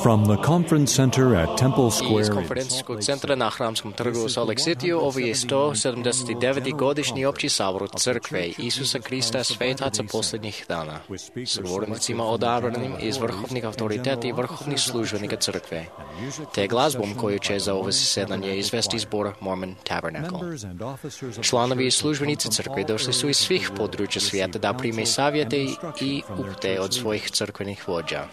From the conference center at Temple Square Iz in konferencijskog centra na Hramskom trgu u Salt Lake City ovo je 179. godišnji opći sabor Crkve Isusa Krista Svetaca posljednjih dana s govornicima odabranim iz vrhovnih autoriteta i vrhovnih službenika Crkve, te glazbom koju će za ovo zasedanje izvesti zbor Mormon Tabernacle. Članovi i službenici Crkve došli su iz svih područja svijeta da prime savjete i upute od svojih crkvenih vođa.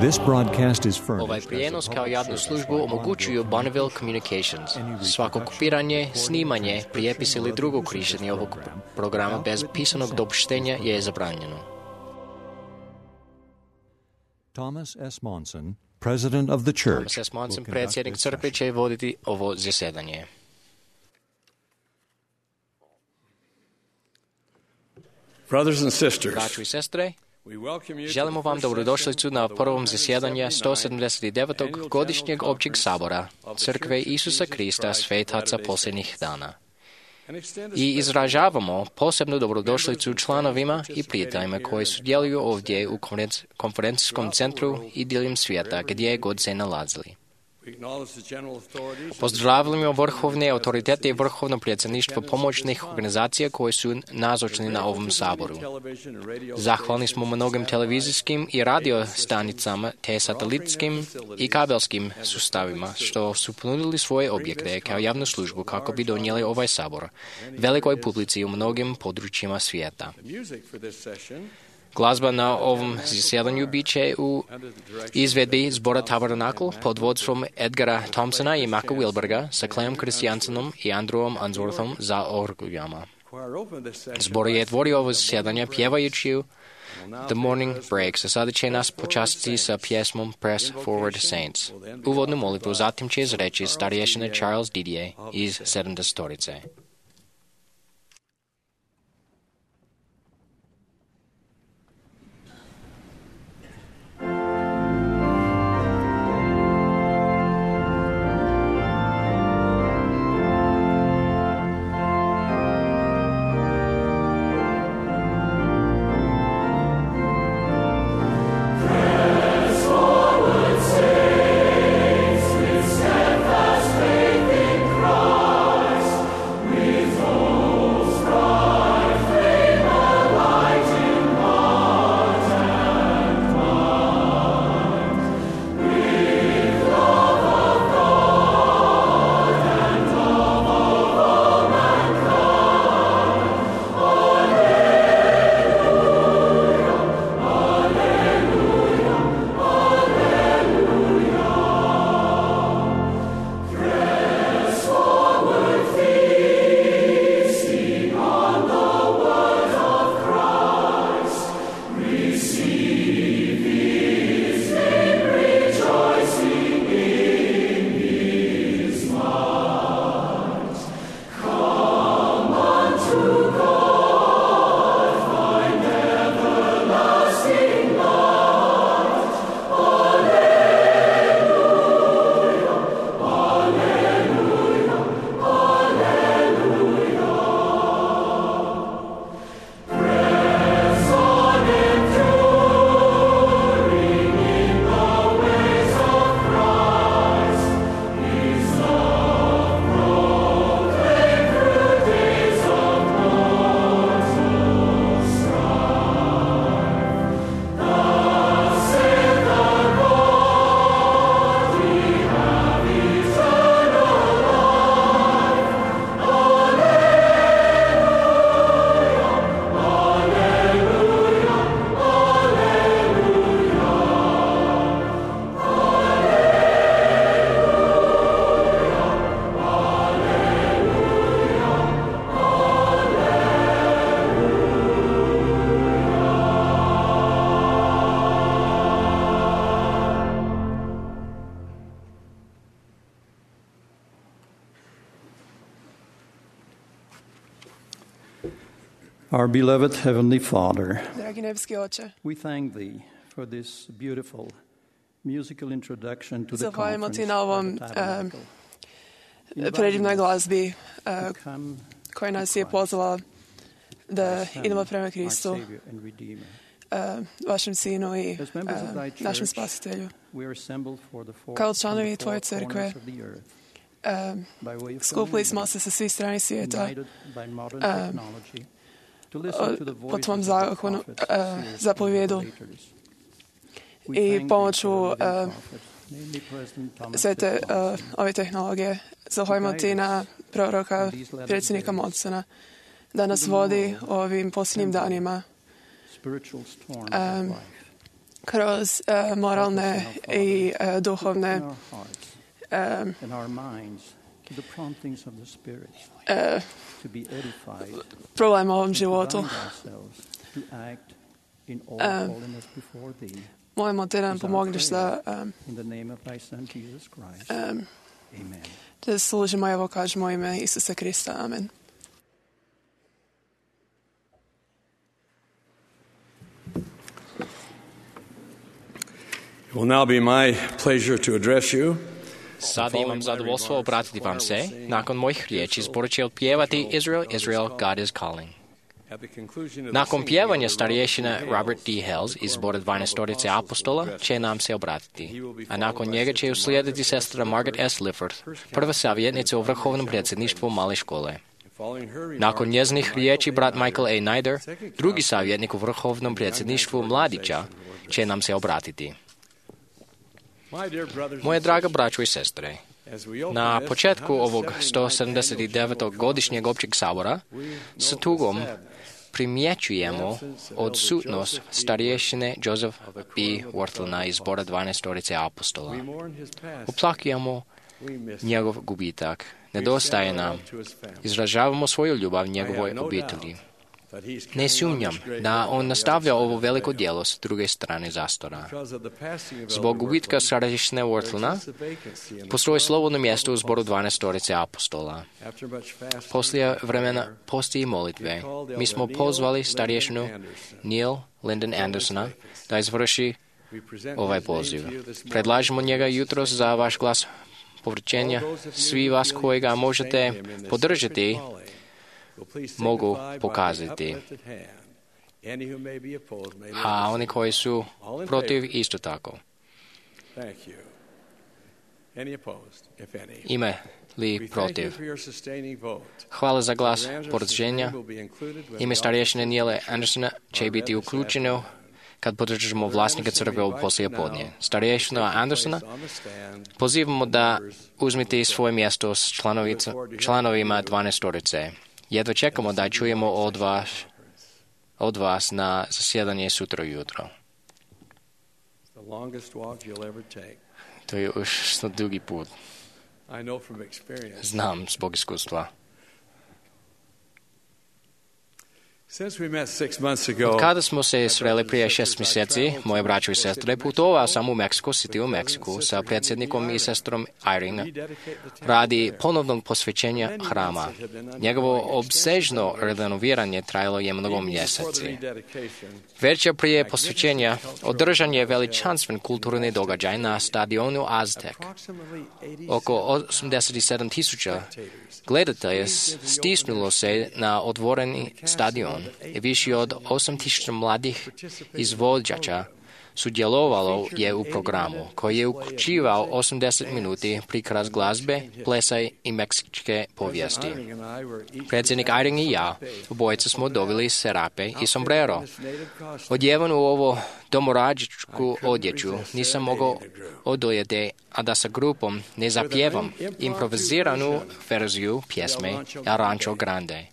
This broadcast is Ovaj furnished prijenos kao javnu službu omogućuju Bonneville Communications. Svako kopiranje, snimanje, prijepis ili drugo korištenje ovog programa bez pisanog dopuštenja je zabranjeno. Thomas S. Monson, president of the church. Thomas S. Monson, predsjednik crkve, će voditi ovo zasjedanje. Brothers and sisters, Braćo i sestre, we welcome you želimo vam dobrodošlicu na prvom zasjedanju 179. godišnjeg općeg sabora Crkve Isusa Krista Svetaca posljednjih dana. I izražavamo posebnu dobrodošlicu članovima i prijateljima koji sudjeluju ovdje u konferencijskom centru i diljem svijeta gdje god se nalazili. Pozdravljamo vrhovne autoritete i vrhovno predsjedništvo pomoćnih organizacija koji su nazočni na ovom saboru. Zahvalni smo mnogim televizijskim i radio stanicama te satelitskim i kabelskim sustavima što su ponudili svoje objekte kao javnu službu kako bi donijeli ovaj sabor velikoj publici u mnogim područjima svijeta. Glazba na ovom zasjedanju bit će u izvedbi zbora Tabernacle pod vodstvom Edgara Thompsona i Maka Wilberga sa Clem Christiansenom i Andrewom Unsworthom za orguljama. Zbor je otvorio ovo zasjedanje pjevajući The Morning Breaks, a sada će nas počastiti sa pjesmom Press Forward Saints. Uvodnu molitvu zatim će izreći starješina Charles Didier iz 70-torice. Our beloved Heavenly Father, Dragi nebeski Oče, we thank Thee Zahvaljujemo ti na ovom predivnoj glazbi koja nas je pozvala da idemo prema Kristu, vašem Sinu i našem Spasitelju. Kao članovi Tvoje crkve, skupili smo se sa svih strani svijeta po Tvom zapovjedu i pomoću sve ove tehnologije. Zahvaljujemo ti na proroka, predsjednika Monsona, da nas vodi ovim posljednjim danima kroz moralne i duhovne probleme u ovom životu. Molimo te da nam pomogneš da služimo, evo kažemo ime Isusa Krista. Amen. It will now be my pleasure to address you. Sada imam zadovoljstvo obratiti vam se. Nakon mojih riječi zbor će otpjevati Israel, Israel, God is calling. Nakon pjevanja starješina Robert D. Hales iz zbora 12 apostola će nam se obratiti, a nakon njega će uslijediti sestra Margaret S. Lifford, prva savjetnica u vrhovnom predsjedništvu male škole. Nakon njezinih riječi brat Michael A. Nider, drugi savjetnik u vrhovnom predsjedništvu mladića, će nam se obratiti. Moje draga braćo i sestre, na početku ovog 179. godišnjeg općeg sabora sa tugom primjećujemo odsutnost starješine Joseph B. Worthlina iz zbora 12 apostola. Oplakujemo njegov gubitak, nedostaje nam, izražavamo svoju ljubav njegovoj obitelji. Ne sumnjam da on nastavlja ovo veliko djelo s druge strane zastora. Zbog gubitka starješine Worthlina postoji slobodno mjesto u zboru 12 apostola. Poslije vremena posti i molitve. Mi smo pozvali starješinu Neil Lyndon Andersona da izvrši ovaj poziv. Predlažemo njega jutros za vaš glas povraćenja. Svi vas koji ga možete podržati mogu pokazati, a oni koji su protiv isto tako. Ima li protiv? Hvala za glas podržanja. Ime starješine Neila Andersona će biti uključeno kad podržimo vlasnika crkve u poslijepodnje. Starješina Andersona pozivamo da uzmete svoje mjesto s članovima 12. Jedva čekamo da čujemo od vas na zasjedanje sutra ujutro. To je još dugi put. Znam zbog iskustva. Od kada smo se sreli prije 6 mjeseci, moje braćo i sestre, putovao sam u Mexico City u Meksiku sa predsjednikom i sestrom Irene radi ponovnog posvećenja hrama. Njegovo obsežno renoviranje trajalo je mnogo mjeseci. Večer prije posvećenja održan je veličanstven kulturni događaj na stadionu Aztek. Oko 87,000 gledatelja stisnulo se na otvoreni stadion i više od 8,000 mladih izvođača sudjelovalo je u programu, koji je uključivao 80 minuti prikaz glazbe, plesa i meksičke povijesti. Predsjednik Irene i ja, obojica smo dobili serape i sombrero. Odjevan u ovo domorađičku odjeću, nisam mogao odoljeti, a da sa grupom ne zapjevam improviziranu verziju pjesme Rancho Grande,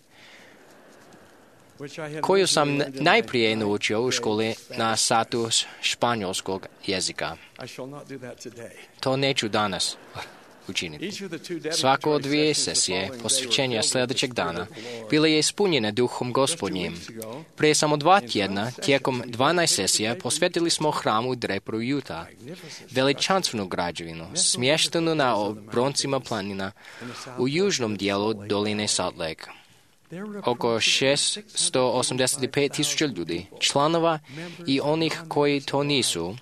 koju sam najprije naučio u školi na satu španjolskog jezika. To neću danas učiniti. Svako od 2 sesije posvećenja sljedećeg dana bile je ispunjene duhom Gospodnjim. Prije samo 2 tjedna, tijekom 12 sesija, posvetili smo hramu Draper u Utah, veličanstvenu građevinu, smještenu na obroncima planina u južnom dijelu doline Salt Lake. oko 685,000 ljudi, članova i onih koji to nisu,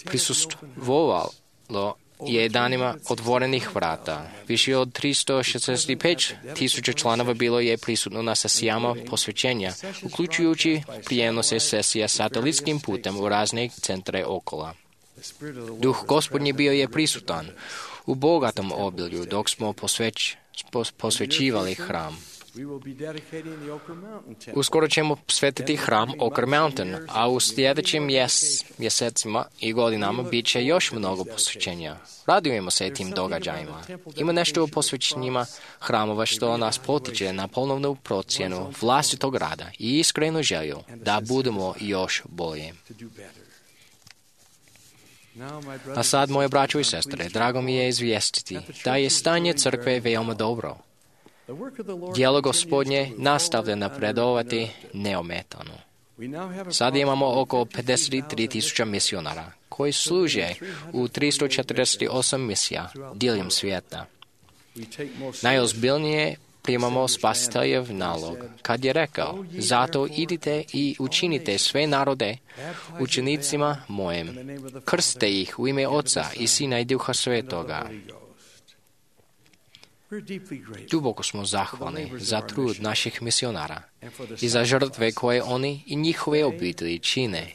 prisustvovalo je danima otvorenih vrata. Više od 365,000 članova bilo je prisutno na sesijama posvećenja, uključujući prijenose sesija satelitskim putem u razne centre okolo. Duh Gospodnji bio je prisutan u bogatom obilju dok smo posvećivali hram. Uskoro ćemo svetiti hram Oak Mountain, a u sljedećim mjesecima i godinama bit će još mnogo posvećenja. Radujemo se tim događajima. Ima nešto u posvećenjima hramova što nas potiče na ponovnu procjenu vlastitog rada i iskrenu želju da budemo još bolji. A sad, moje braćo i sestre, drago mi je izvijestiti da je stanje crkve veoma dobro. Djelo Gospodnje nastavlja napredovati neometano. Sad imamo oko 53,000 misionara koji služe u 348 misija diljem svijeta. Najozbiljnije primamo Spasiteljev nalog, kad je rekao: zato idite i učinite sve narode učenicima mojim, krstite ih u ime Oca i Sina i Duha Svetoga. Duboko smo zahvalni za trud naših misionara i za žrtve koje oni i njihove obitelji čine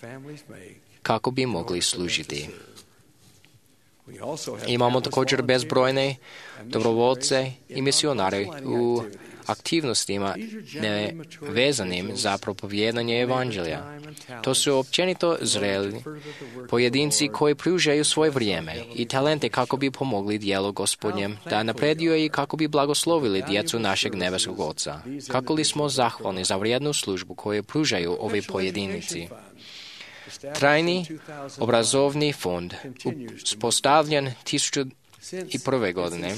kako bi mogli služiti. Imamo također bezbrojne dobrovoljce i misionare u aktivnostima nevezanim za propovijedanje evanđelja. To su općenito zreli pojedinci koji pružaju svoje vrijeme i talente kako bi pomogli djelu Gospodnjem da napreduje i kako bi blagoslovili djecu našeg nebeskog Oca. Kako li smo zahvalni za vrijednu službu koju pružaju ovi pojedinci. Trajni obrazovni fond, uspostavljen 2001. godine,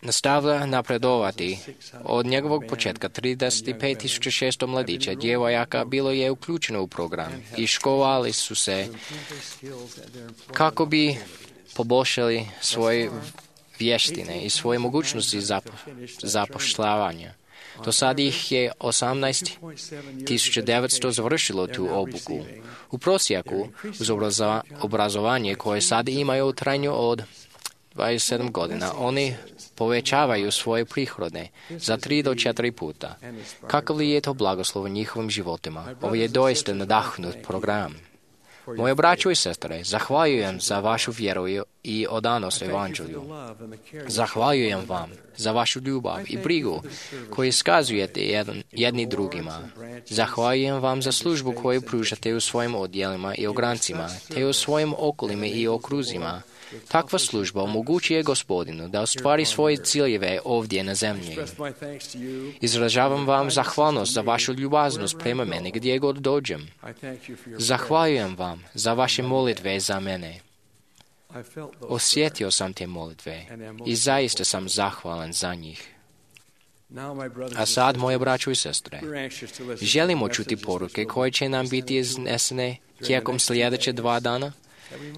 nastavlja napredovati. Od njegovog početka 35,600 mladića, djevojaka bilo je uključeno u program i školovali su se kako bi poboljšali svoje vještine i svoje mogućnosti zapošljavanja. Do sad ih je 18,900 završilo tu obuku. U prosjeku, uz obrazovanje koje sad imaju u trajanju od 27 godina, oni povećavaju svoje prihode za 3 do 4 puta. Kakav li je to blagoslov u njihovim životima? Ovo je doista nadahnut program. Moje braćo i sestre, zahvaljujem za vašu vjeru i odanost evanđelju. Zahvaljujem vam za vašu ljubav i brigu koju iskazujete jedni drugima. Zahvaljujem vam za službu koju pružate u svojim odjelima i ograncima, te u svojim okolima i okruzima. Takva služba omogućuje Gospodinu da ostvari svoje ciljeve ovdje na zemlji. Izražavam vam zahvalnost za vašu ljubaznost prema meni gdje god dođem. Zahvaljujem vam za vaše molitve za mene. Osjetio sam te molitve i zaista sam zahvalan za njih. A sad, moje braćo i sestre, želimo čuti poruke koje će nam biti iznesene tijekom sljedeće 2 dana,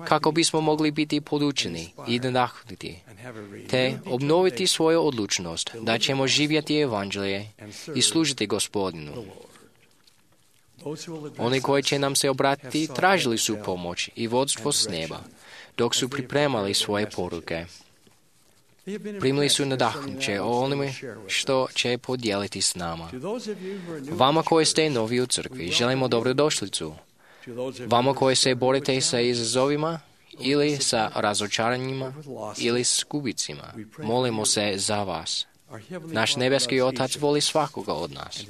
kako bismo mogli biti podučeni i nadahnuti, te obnoviti svoju odlučnost da ćemo živjeti evanđelje i služiti Gospodinu. Oni koji će nam se obratiti tražili su pomoć i vodstvo s neba, dok su pripremali svoje poruke. Primili su nadahnuće o onome što će podijeliti s nama. Vama koji ste novi u crkvi, želimo dobrodošlicu. Vama koji se borite sa izazovima ili sa razočaranjima ili s gubicima, molimo se za vas. Naš nebeski Otac voli svakoga od nas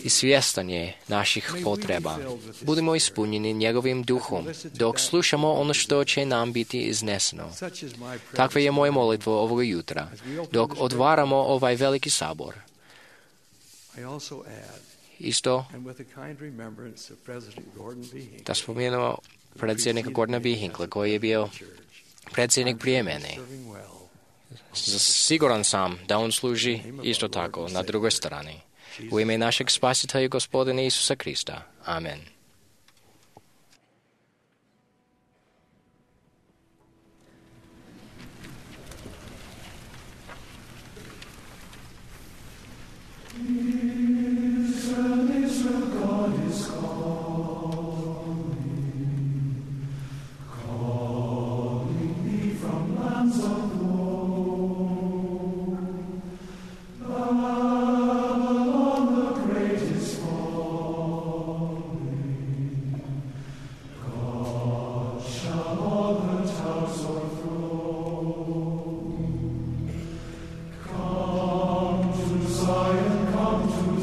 i svjestan je naših potreba. Budimo ispunjeni njegovim duhom dok slušamo ono što će nam biti izneseno. Takva je moja molitva ovoga jutra dok otvaramo ovaj veliki sabor. Isto da spomenemo predsjednika Gordona B. Hinckley koji je bio predsjednik prije mene. Siguran sam da on služi isto tako na drugoj strani. U ime našeg Spasitelja Gospodina Isusa Krista. Amen. Zion, come to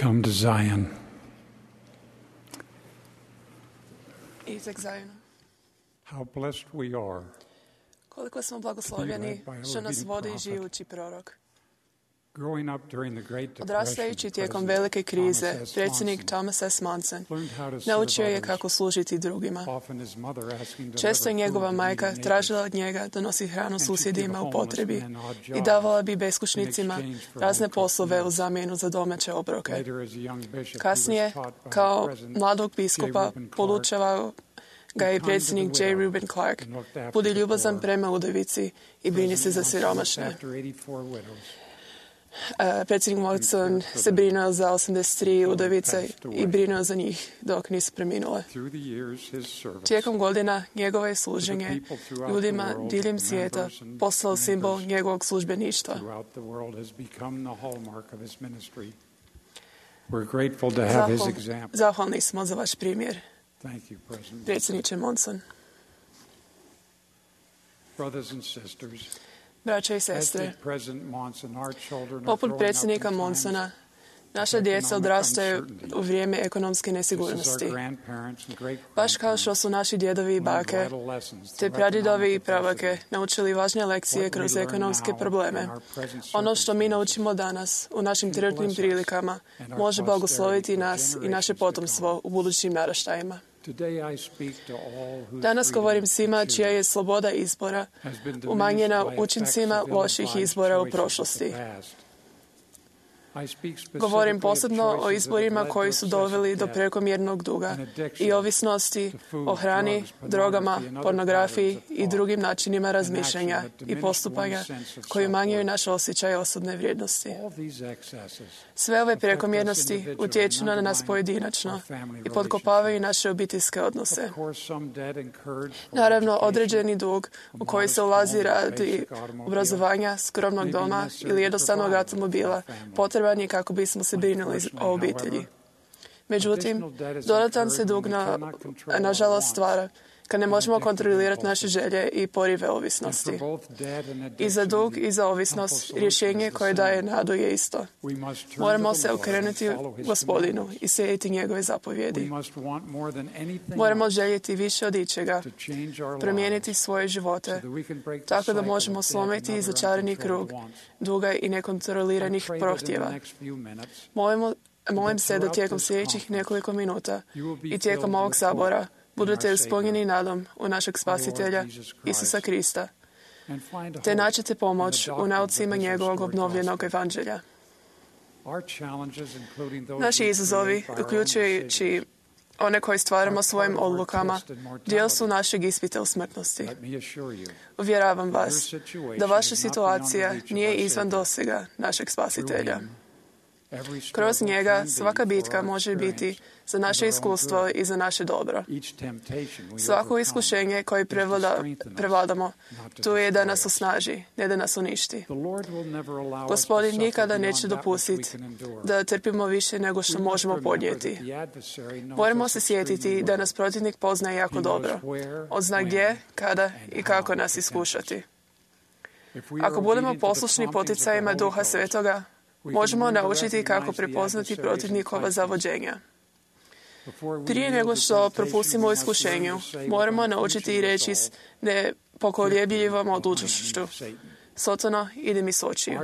Come to Zion. Idite k Zajonu. How blessed we are. Koliko smo blagoslovljeni što nas vodi živući prorok. Growing up during the Great Depression, Odrastajući tijekom velike krize, predsjednik Thomas S. Monson naučio je kako služiti drugima. Često je njegova majka tražila od njega da nosi hranu susjedima u potrebi i davala bi beskućnicima razne poslove u zamjenu za domaće obroke. Kasnije, kao mladog biskupa, podučavao ga je predsjednik J. Reuben Clark. Budi ljubazan prema udovici i brini se za siromašne. Predsjednik Monson se brinuo za 83 udovice i brinuo za njih dok nisu preminule. Tijekom godina njegovo je služenje ljudima diljem svijeta postalo simbol njegovog službeništva. Zahvalni smo za vaš primjer, predsjedniče Monson. Braća i sestre, poput predsjednika Monsona, naša djeca odrastaju u vrijeme ekonomske nesigurnosti. Baš kao što su naši djedovi i bake, te pradjedovi i prabake naučili važne lekcije kroz ekonomske probleme. Ono što mi naučimo danas u našim trenutnim prilikama može blagosloviti nas i naše potomstvo u budućim naraštajima. Danas govorim svima čija je sloboda izbora umanjena učincima loših izbora u prošlosti. Govorim posebno o izborima koji su doveli do prekomjernog duga i ovisnosti o hrani, drogama, pornografiji i drugim načinima razmišljanja i postupanja koji umanjuju naš osjećaj osobne vrijednosti. Sve ove prekomjernosti utječu na nas pojedinačno i potkopavaju naše obiteljske odnose. Naravno, određeni dug u koji se ulazi radi obrazovanja, skromnog doma ili jednostavnog automobila potreban je kako bismo se brinuli o obitelji. Međutim, dodatan se dug nažalost stvara kad ne možemo kontrolirati naše želje i porive ovisnosti. I za dug i za ovisnost rješenje koje daje nadu je isto. Moramo se okrenuti Gospodinu i slijediti njegove zapovjedi. Moramo željeti više od ičega, promijeniti svoje živote, tako da možemo slomiti začarani krug duga i nekontroliranih prohtjeva. Molim se da tijekom sljedećih nekoliko minuta i tijekom ovog sabora budete ispunjeni nadom u našeg Spasitelja, Isusa Krista, te naćete pomoć u naucima njegovog obnovljenog evanđelja. Naši izazovi, uključujući one koje stvaramo svojim odlukama, dio su našeg ispita u smrtnosti. Uvjeravam vas da vaša situacija nije izvan dosega našeg Spasitelja. Kroz njega svaka bitka može biti za naše iskustvo i za naše dobro. Svako iskušenje koje prevladamo, tu je da nas osnaži, ne da nas uništi. Gospodin nikada neće dopustiti da trpimo više nego što možemo podnijeti. Moramo se sjetiti da nas protivnik poznaje jako dobro. On zna gdje, kada i kako nas iskušati. Ako budemo poslušni poticajima Duha Svetoga, možemo naučiti kako prepoznati protivnikova zavođenja. Prije nego što propustimo u iskušenju, moramo naučiti i reći s nepokoljebljivom odlučnošću: Sotano, idi mi s očiju.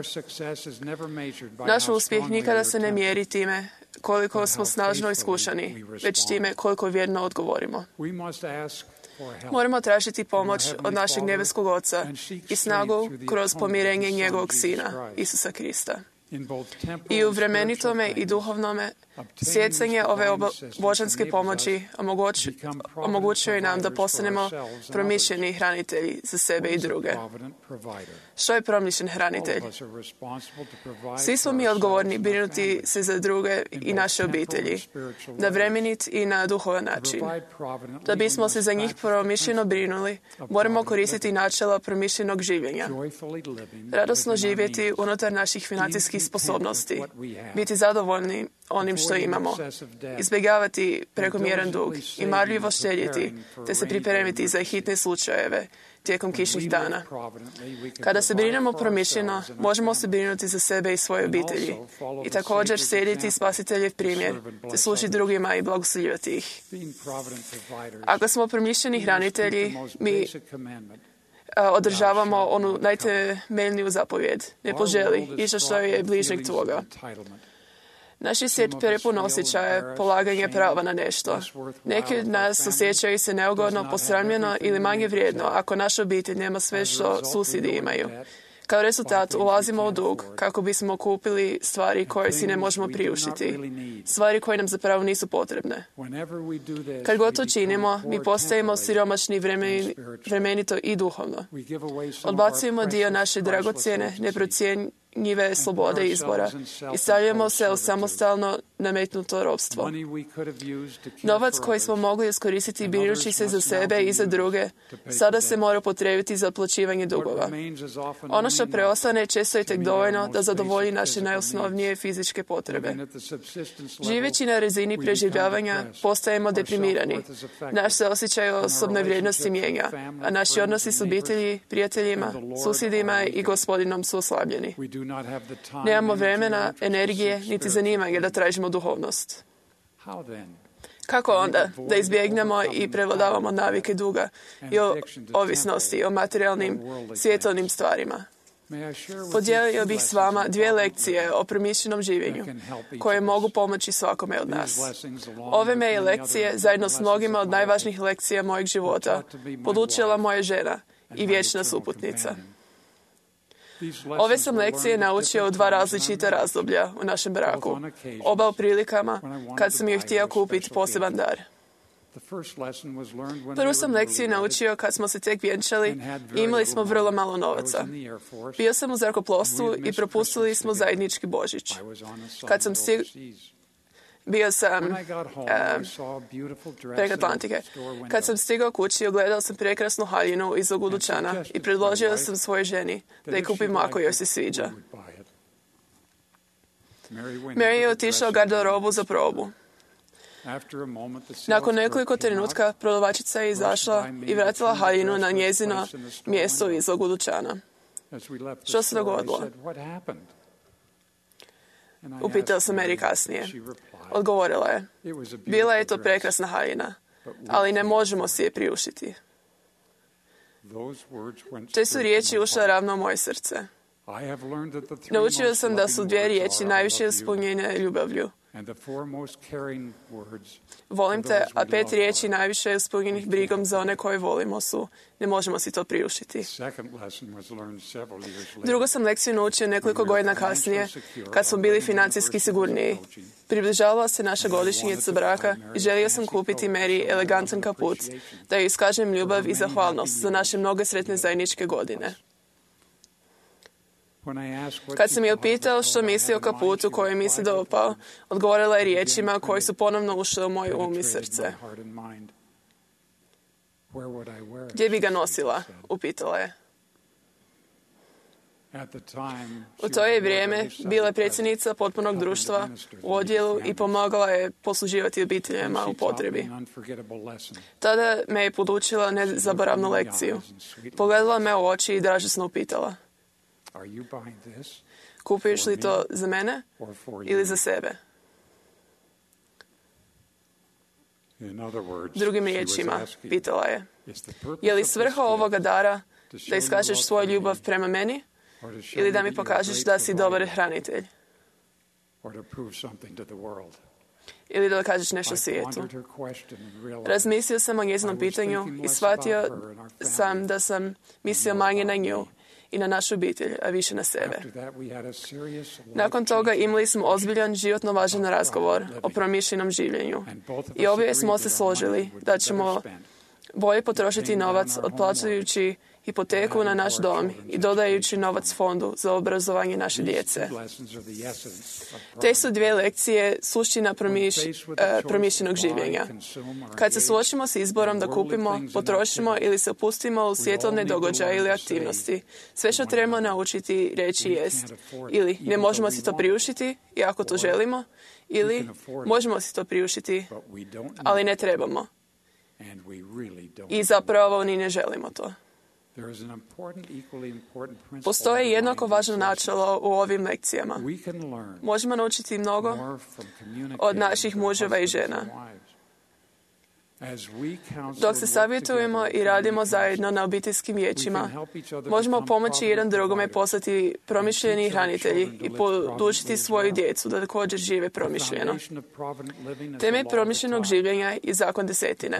Naš uspjeh nikada se ne mjeri time koliko smo snažno iskušani, već time koliko vjerno odgovorimo. Moramo tražiti pomoć od našeg nebeskog Oca i snagu kroz pomirenje njegovog Sina, Isusa Krista. I u vremenitome i duhovnome stjecanje ove božanske pomoći omogućuje nam da postanemo promišljeni hranitelji za sebe i druge. Što je promišljen hranitelj? Svi smo mi odgovorni brinuti se za druge i naše obitelji, na vremenit i na duhovan način. Da bismo se za njih promišljeno brinuli, moramo koristiti načela promišljenog življenja. Radosno živjeti unutar naših financijskih sposobnosti, biti zadovoljni onim što imamo, izbjegavati prekomjeran dug i marljivo štedjeti, te se pripremiti za hitne slučajeve tijekom kišnih dana. Kada se brinemo promišljeno, možemo se brinuti za sebe i svoje obitelji i također slijediti spasiteljev primjer, te služiti drugima i blagoslovljivati ih. Ako smo promišljeni hranitelji, mi održavamo onu najtemeljniju zapovjed. Ne poželi išta što je bližnjeg tvoga. Naš svijet prepun osjećaja polaganja prava na nešto. Neki od nas osjećaju se neugodno, posramljeno ili manje vrijedno ako naša obitelj nema sve što susjedi imaju. Kao rezultat ulazimo u dug kako bismo kupili stvari koje si ne možemo priuštiti, stvari koje nam zapravo nisu potrebne. Kad god to činimo, mi postajemo siromašni vremenito i duhovno. Odbacujemo dio naše dragocjene, neprocjenjive slobode izbora i stavljamo se u samostalno nametnuto ropstvo. Novac koji smo mogli iskoristiti brinući se za sebe i za druge, sada se mora upotrijebiti za otplaćivanje dugova. Ono što preostane često je tek dovoljno da zadovolji naše najosnovnije fizičke potrebe. Živeći na razini preživljavanja, postajemo deprimirani. Naš se osjećaj osobne vrijednosti mijenja, a naši odnosi s obitelji, prijateljima, susjedima i Gospodinom su oslabljeni. Nemamo vremena, energije, niti zanimanja da tražimo duhovnost. Kako onda da izbjegnemo i prevladavamo navike duga i ovisnosti o materijalnim, svjetovnim stvarima? Podijelio bih s vama 2 lekcije o promišljenom življenju koje mogu pomoći svakome od nas. Ove me lekcije, zajedno s mnogima od najvažnijih lekcija mojeg života, podučila moja žena i vječna suputnica. Ove sam lekcije naučio u 2 različita razdoblja u našem braku, oba u prilikama kad sam joj htio kupiti poseban dar. Prvu sam lekciju naučio kad smo se tek vjenčali i imali smo vrlo malo novaca. Bio sam u zrakoplovstvu i propustili smo zajednički Božić. Bio sam preko Atlantike. Kad sam stigao kući, ogledao sam prekrasnu haljinu iz Dućana i predložio sam svojoj ženi da je kupimo ako joj se sviđa. Mary je otišla u garderobu za probu. Nakon nekoliko trenutka prodavačica je izašla i vratila haljinu na njezino mjesto iz Dućana. Što se dogodilo? Upitao sam Mary kasnije. Odgovorila je, bila je to prekrasna haljina, ali ne možemo si je priuštiti. Te su riječi ušle ravno u moje srce. Naučio sam da su 2 riječi najviše ispunjene ljubavlju. Volim te, a 5 riječi najviše ispunjenih brigom za one koje volimo su ne možemo si to priuštiti. Drugu sam lekciju naučio nekoliko godina kasnije, kad smo bili financijski sigurniji. Približavala se naša godišnjica braka i želio sam kupiti Mary elegantan kaput, da joj iskažem ljubav i zahvalnost za naše mnoge sretne zajedničke godine. Kad sam je upitao što misli o kaputu koji mi se dopao, odgovorila je riječima koji su ponovno ušle u moj um i srce. Gdje bi ga nosila? Upitala je. U to je vrijeme bila je predsjednica potpunog društva u odjelu i pomagala je posluživati obiteljima u potrebi. Tada me je podučila nezaboravnu lekciju. Pogledala me u oči i dražesno upitala. Kupuješ li to za mene ili za sebe? Drugim riječima, pitala je li svrha ovoga dara da iskažeš svoju ljubav prema meni ili da mi pokažeš da si dobar hranitelj? Ili da kažeš nešto svijetu? Razmislio sam o njezinom pitanju i shvatio sam da sam mislio manje na nju i na našu obitelj, a više na sebe. Nakon toga imali smo ozbiljan, životno važan razgovor o promišljenom življenju. I obje smo se složili da ćemo bolje potrošiti novac otplaćujući hipoteku na naš dom i dodajući novac fondu za obrazovanje naše djece. Te su dvije lekcije suština promišljenog življenja. Kad se suočimo s izborom da kupimo, potrošimo ili se upustimo u svjetovne događaje ili aktivnosti, sve što trebamo naučiti reći jest ili ne možemo si to priuštiti i ako to želimo, ili možemo si to priuštiti, ali ne trebamo. I zapravo ni ne želimo to. Postoji jednako važno načelo u ovim lekcijama. Možemo naučiti mnogo od naših muževa i žena. Dok se savjetujemo i radimo zajedno na obiteljskim vijećima, možemo pomoći jedan drugome postati promišljeni hranitelji i podučiti svoju djecu da također žive promišljeno. Temelj promišljenog življenja je zakon desetine.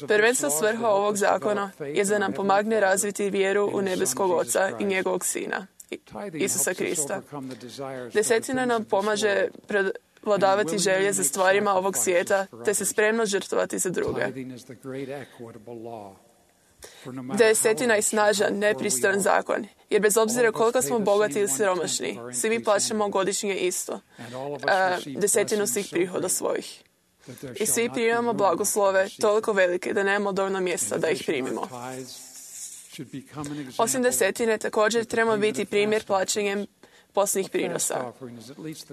Prvenstvena svrha ovog zakona je da nam pomogne razviti vjeru u nebeskog Oca i njegovog Sina, Isusa Krista. Desetina nam pomaže vladavati želje za stvarima ovog svijeta, te se spremno žrtvovati za druge. Desetina je snažan, nepristran zakon, jer bez obzira koliko smo bogati ili siromašni, svi mi plaćamo godišnje isto, desetinu svih prihoda svojih. I svi primamo blagoslove toliko velike da nemamo dovoljno mjesta da ih primimo. Osim desetine, također trebamo biti primjer plaćanjem posljednjih prinosa.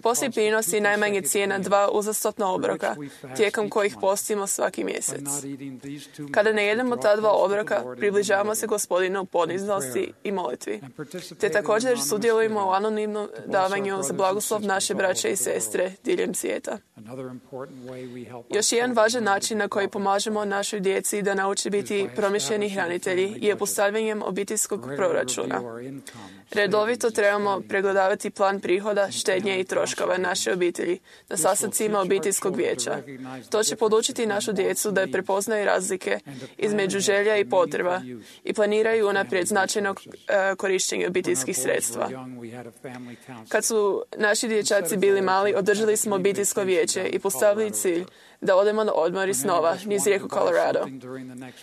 Posljednji prinos je najmanje cijena 2 uzastopna obroka, tijekom kojih postimo svaki mjesec. Kada ne jedemo ta 2 obroka, približavamo se Gospodinu u poniznosti i molitvi. Te također sudjelujemo u anonimnom davanju za blagoslov naše braće i sestre diljem svijeta. Još jedan važan način na koji pomažemo našoj djeci da nauči biti promišljeni hranitelji je postavljanjem obiteljskog proračuna. Redovito trebamo pregledavati plan prihoda, štednje i troškova naše obitelji na sastancima obiteljskog vijeća. To će podučiti našu djecu da prepoznaju razlike između želja i potreba i planiraju unaprijed značajno korištenje obiteljskih sredstva. Kad su naši dječaci bili mali, održali smo obiteljsko vijeće i postavili cilj da odemo na odmor iz snova niz rijeku Colorado.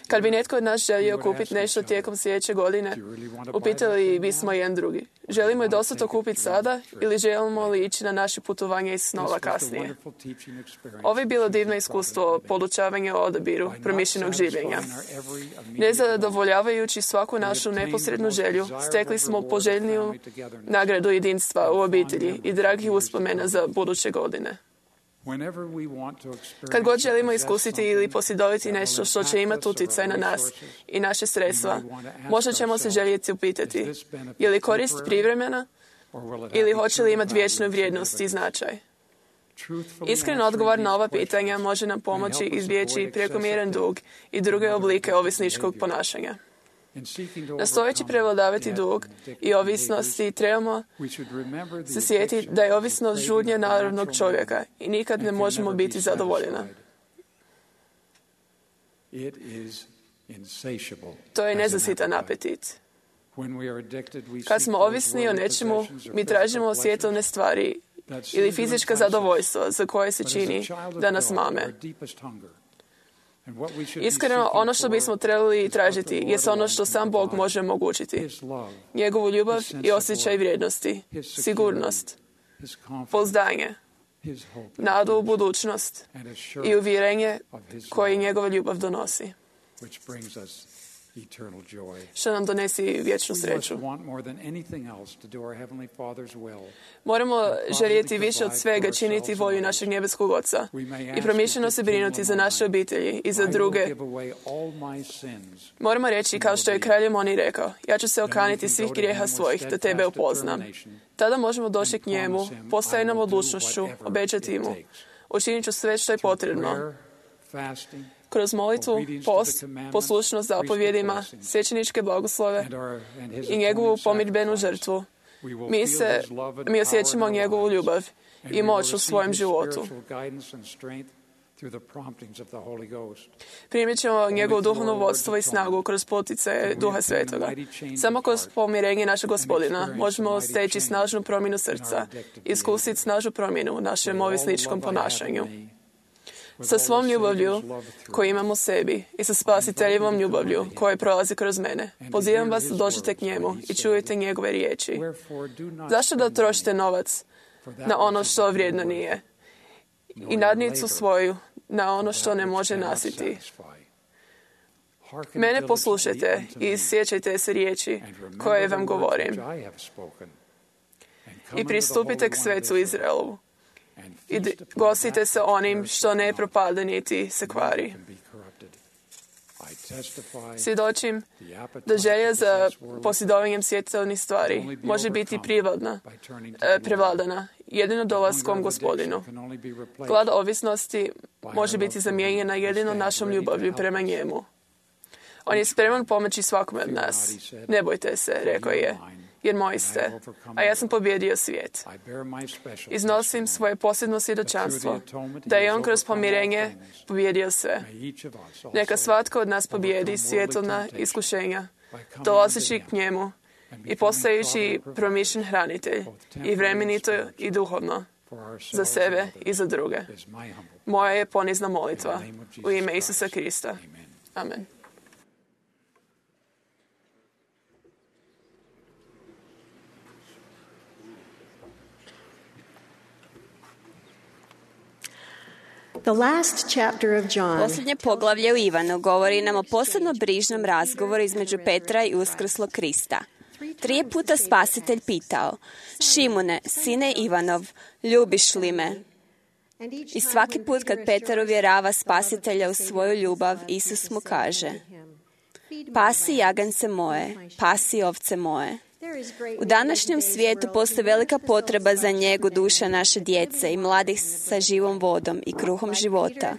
Kad bi netko od nas želio kupiti nešto tijekom sljedeće godine, upitali bismo jedan drugi. Želimo li dosta to kupiti sada ili želimo li ići na naše putovanje iz snova kasnije? Ovo je bilo divno iskustvo podučavanja o odabiru promišljenog življenja. Nezadovoljavajući svaku našu neposrednu želju, stekli smo poželjniju nagradu jedinstva u obitelji i dragih uspomena za buduće godine. Kad god želimo iskusiti ili posjedovati nešto što će imati utjecaj na nas i naše sredstva, možda ćemo se željeti upitati, je li korist privremena ili hoće li imati vječnu vrijednost i značaj? Iskren odgovor na ova pitanja može nam pomoći izbjeći prekomjeran dug i druge oblike ovisničkog ponašanja. Nastojeći prevladavati dug i ovisnosti, trebamo se sjetiti da je ovisnost žudnja narodnog čovjeka i nikad ne možemo biti zadovoljena. To je nezasitan apetit. Kad smo ovisni o nečemu, mi tražimo svjetovne stvari ili fizička zadovoljstva za koje se čini da nas mame. Iskreno, ono što bismo trebali tražiti je ono što sam Bog može omogućiti. Njegovu ljubav i osjećaj vrijednosti, sigurnost, pouzdanje, nadu u budućnost i uvjerenje koje njegova ljubav donosi, što nam donesi vječnu sreću. Moramo željeti više od svega činiti volju našeg nebeskog Oca i promišljeno se brinuti za naše obitelji i za druge. Moramo reći, kao što je kralj Lemoni rekao, ja ću se okaniti svih grijeha svojih da tebe upoznam. Tada možemo doći k njemu, postajenom odlučnošću, obećati mu, učinit ću sve što je potrebno. Kroz molitvu, post, poslušnost zapovjedima, svećeničke blagoslove i njegovu pomirbenu žrtvu, mi osjećamo njegovu ljubav i moć u svojem životu. Primit ćemo njegovo duhovno vodstvo i snagu kroz poticaje Duha Svetoga. Samo kroz pomirenje našeg Gospodina možemo steći snažnu promjenu srca, iskusiti snažnu promjenu u našem ovisničkom ponašanju. sa svom ljubavlju koju imamo sebi i sa spasiteljevom ljubavlju koja prolazi kroz mene. Pozivam vas da dođete k njemu i čujete njegove riječi. Zašto da trošite novac na ono što vrijedno nije i nadnicu svoju na ono što ne može nasiti? Mene poslušajte i sjećajte se riječi koje vam govorim. I pristupite k svecu Izraelu i gostite se onim što ne propada niti se kvari. Svjedočim da želja za posjedovanjem svjetovnih stvari može biti prevladana jedino dolaskom Gospodinu. Glad ovisnosti može biti zamijenjena jedino našom ljubavlju prema njemu. On je spreman pomoći svakome od nas. Ne bojte se, rekao je, jer moji ste, a ja sam pobjedio svijet. Iznosim svoje posebno svjedočanstvo da je on kroz pomirenje pobjedio sve. Neka svatko od nas pobjedi svjetovna iskušenja, dolazeći k njemu i postajući promišljen hranitelj, i vremenito i duhovno, za sebe i za druge. Moja je ponizna molitva u ime Isusa Krista. Amen. Posljednje poglavlje u Ivanu govori nam o posebno brižnom razgovoru između Petra i uskrslog Krista. 3 puta Spasitelj pitao: Šimune, sine Ivanov, ljubiš li me? I svaki put kad Petar uvjerava Spasitelja u svoju ljubav, Isus mu kaže: Pasi jagance moje, pasi ovce moje. U današnjem svijetu postoji velika potreba za njegu duša naše djece i mladih sa živom vodom i kruhom života.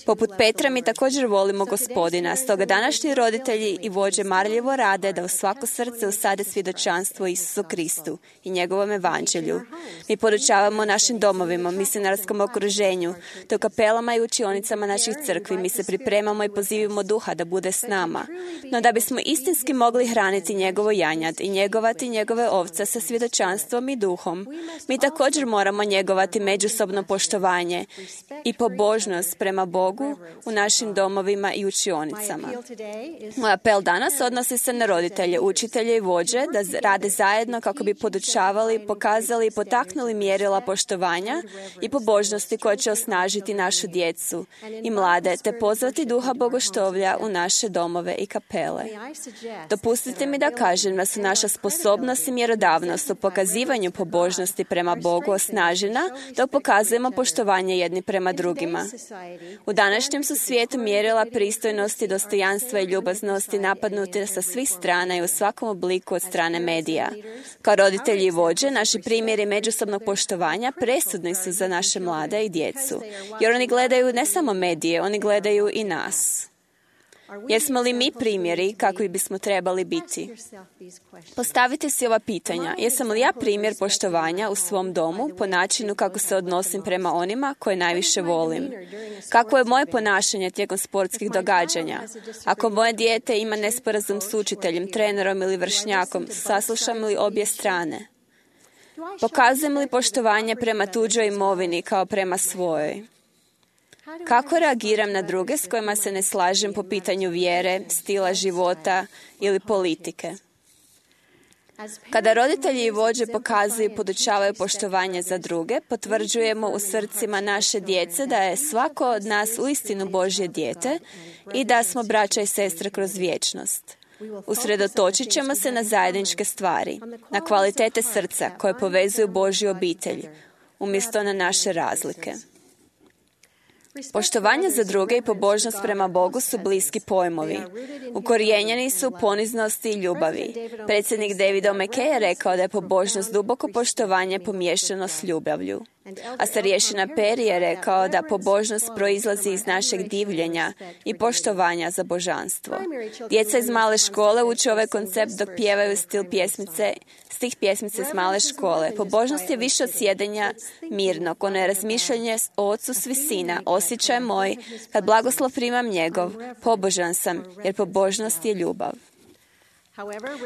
Poput Petra mi također volimo Gospodina, stoga današnji roditelji i vođe marljivo rade da u svako srce usade svjedočanstvo Isusu Kristu i njegovom evanđelju. Mi podučavamo našim domovima, misionarskom okruženju, te u kapelama i učionicama naših crkvi. Mi se pripremamo i pozivimo Duha da bude s nama. No da bismo istinski mogli hraniti njegovo janjad i njegovati njegove ovce sa svjedočanstvom i duhom, mi također moramo njegovati međusobno poštovanje i pobožnost prema Bogu u našim domovima i učionicama. Moj apel danas odnosi se na roditelje, učitelje i vođe da rade zajedno kako bi podučavali, pokazali i potaknuli mjerila poštovanja i pobožnosti koje će osnažiti našu djecu i mlade, te pozvati duha bogoštovlja u naše domove i kapele. Dopustite mi da kažem da su naša sposobnost i mjerodavnost u pokazivanju pobožnosti prema Bogu osnažena, da pokazujemo poštovanje jedni prema drugima. U današnjem su svijetu mjerila pristojnosti, dostojanstva i ljubaznosti napadnute sa svih strana i u svakom obliku od strane medija. Kao roditelji i vođe, naši primjeri međusobnog poštovanja presudni su za naše mlade i djecu, jer oni gledaju ne samo medije, oni gledaju i nas. Jesmo li mi primjeri kakvi bismo trebali biti? Postavite si ova pitanja. Jesam li ja primjer poštovanja u svom domu po načinu kako se odnosim prema onima koje najviše volim? Kako je moje ponašanje tijekom sportskih događanja? Ako moje dijete ima nesporazum s učiteljem, trenerom ili vršnjakom, saslušam li obje strane? Pokazujem li poštovanje prema tuđoj imovini kao prema svojoj? Kako reagiram na druge s kojima se ne slažem po pitanju vjere, stila života ili politike? Kada roditelji i vođe pokazuju i podučavaju poštovanje za druge, potvrđujemo u srcima naše djece da je svako od nas uistinu Božje dijete i da smo braća i sestre kroz vječnost. Usredotočit ćemo se na zajedničke stvari, na kvalitete srca koje povezuju Božju obitelj, umjesto na naše razlike. Poštovanje za druge i pobožnost prema Bogu su bliski pojmovi. Ukorijenjeni su u poniznosti i ljubavi. Predsjednik David Mackay je rekao da je pobožnost duboko poštovanje pomiješano s ljubavlju. A starješina Perry je rekao da pobožnost proizlazi iz našeg divljenja i poštovanja za božanstvo. Djeca iz male škole uče ovaj koncept dok pjevaju stih pjesmice iz male škole. Pobožnost je više od sjedenja mirnog, ono je razmišljanje o Ocu s visina, osjećaj moj, kad blagoslov primam njegov, pobožan sam, jer pobožnost je ljubav.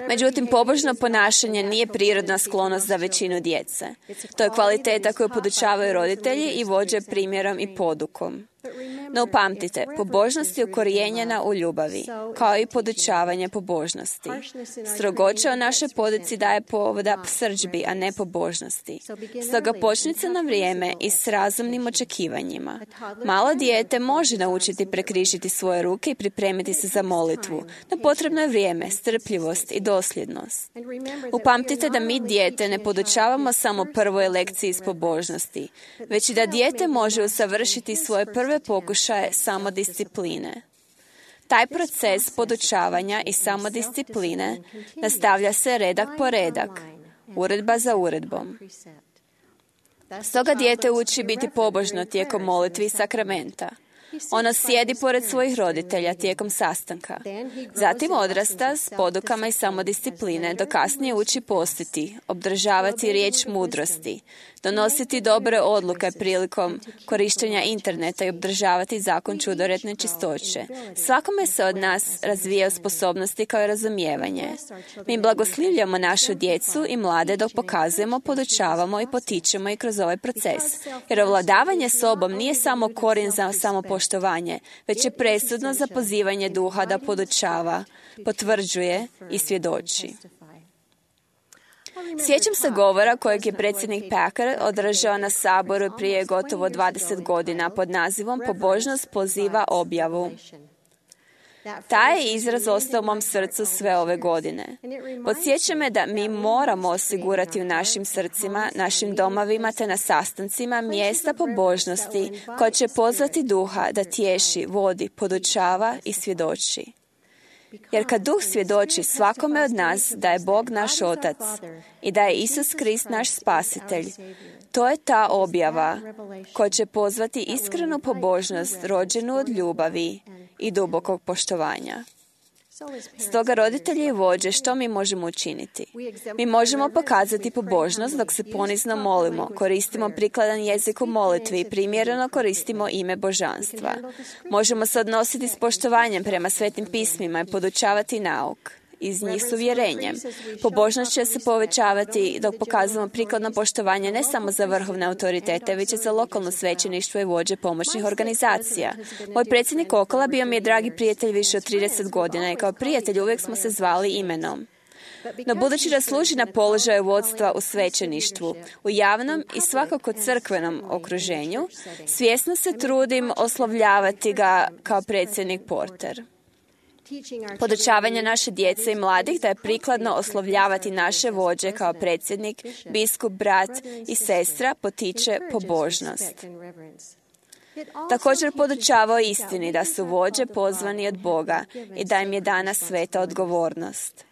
Međutim, pobožno ponašanje nije prirodna sklonost za većinu djece. To je kvaliteta koju podučavaju roditelji i vođe primjerom i podukom. No upamtite, pobožnost je ukorijenjena u ljubavi, kao i podučavanje pobožnosti. Strogoća o našoj poduci daje povoda srdžbi, a ne pobožnosti. Stoga počnite na vrijeme i s razumnim očekivanjima. Malo dijete može naučiti prekrižiti svoje ruke i pripremiti se za molitvu, no potrebno je vrijeme, strpljivost i dosljednost. Upamtite da mi dijete ne podučavamo samo prvoj lekciji iz pobožnosti, već i da dijete može usavršiti svoje prve pokušaje samodiscipline. Taj proces podučavanja i samodiscipline nastavlja se redak po redak, uredba za uredbom. Stoga dijete uči biti pobožno tijekom molitvi i sakramenta. Ono sjedi pored svojih roditelja tijekom sastanka. Zatim odrasta s podukama i samodiscipline, dok kasnije uči postiti, obdržavati riječ mudrosti, donositi dobre odluke prilikom korištenja interneta i obdržavati zakon čudoretne čistoće. Svakome se od nas razvijaju sposobnosti kao i razumijevanje. Mi blagoslivljamo našu djecu i mlade dok pokazujemo, podučavamo i potičemo i kroz ovaj proces. Jer ovladavanje sobom nije samo korijen za samopoštovanje, već je presudno za pozivanje duha da podučava, potvrđuje i svjedoči. Sjećam se govora kojeg je predsjednik Packer održao na Saboru prije gotovo 20 godina pod nazivom Pobožnost poziva objavu. Taj je izraz ostao u mom srcu sve ove godine. Podsjeća me da mi moramo osigurati u našim srcima, našim domovima te na sastancima mjesta pobožnosti koja će pozvati duha da tješi, vodi, podučava i svjedoči. Jer kad Duh svjedoči svakome od nas da je Bog naš Otac i da je Isus Krist naš Spasitelj, to je ta objava koja će pozvati iskrenu pobožnost rođenu od ljubavi i dubokog poštovanja. Stoga, roditelji i vođe, što mi možemo učiniti? Mi možemo pokazati pobožnost dok se ponizno molimo, koristimo prikladan jezik u molitvi i primjereno koristimo ime božanstva. Možemo se odnositi s poštovanjem prema svetim pismima i podučavati nauk iz njih s uvjerenjem. Pobožnost će se povećavati dok pokazujemo prikladno poštovanje ne samo za vrhovne autoritete, već i za lokalno svećeništvo i vođe pomoćnih organizacija. Moj predsjednik Okola bio mi je dragi prijatelj više od 30 godina i kao prijatelj uvijek smo se zvali imenom. No budući da služi na položaju vodstva u svećeništvu, u javnom i svakako crkvenom okruženju, svjesno se trudim oslovljavati ga kao predsjednik Porter. Podučavanje naše djece i mladih da je prikladno oslovljavati naše vođe kao predsjednik, biskup, brat i sestra potiče pobožnost. Također podučava o istini da su vođe pozvani od Boga i da im je dana sveta odgovornost.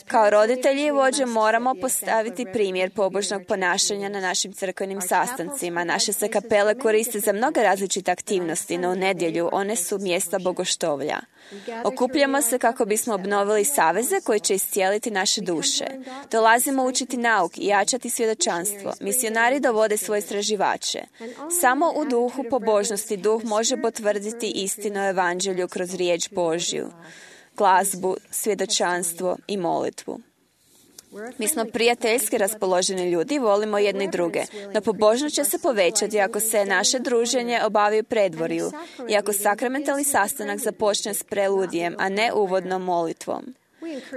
Kao roditelji i vođe moramo postaviti primjer pobožnog ponašanja na našim crkvenim sastancima. Naše se kapele koriste za mnoge različite aktivnosti, no u nedjelju one su mjesta bogoštovlja. Okupljamo se kako bismo obnovili saveze koji će iscijeliti naše duše. Dolazimo učiti nauk i jačati svjedočanstvo. Misionari dovode svoje istraživače. Samo u duhu pobožnosti duh može potvrditi istinu o evanđelju kroz riječ Božju, glazbu, svjedočanstvo i molitvu. Mi smo prijateljski raspoloženi ljudi i volimo jedni druge, no pobožnost će se povećati ako se naše druženje obavi u predvorju i ako sakramentalni sastanak započne s preludijem, a ne uvodnom molitvom.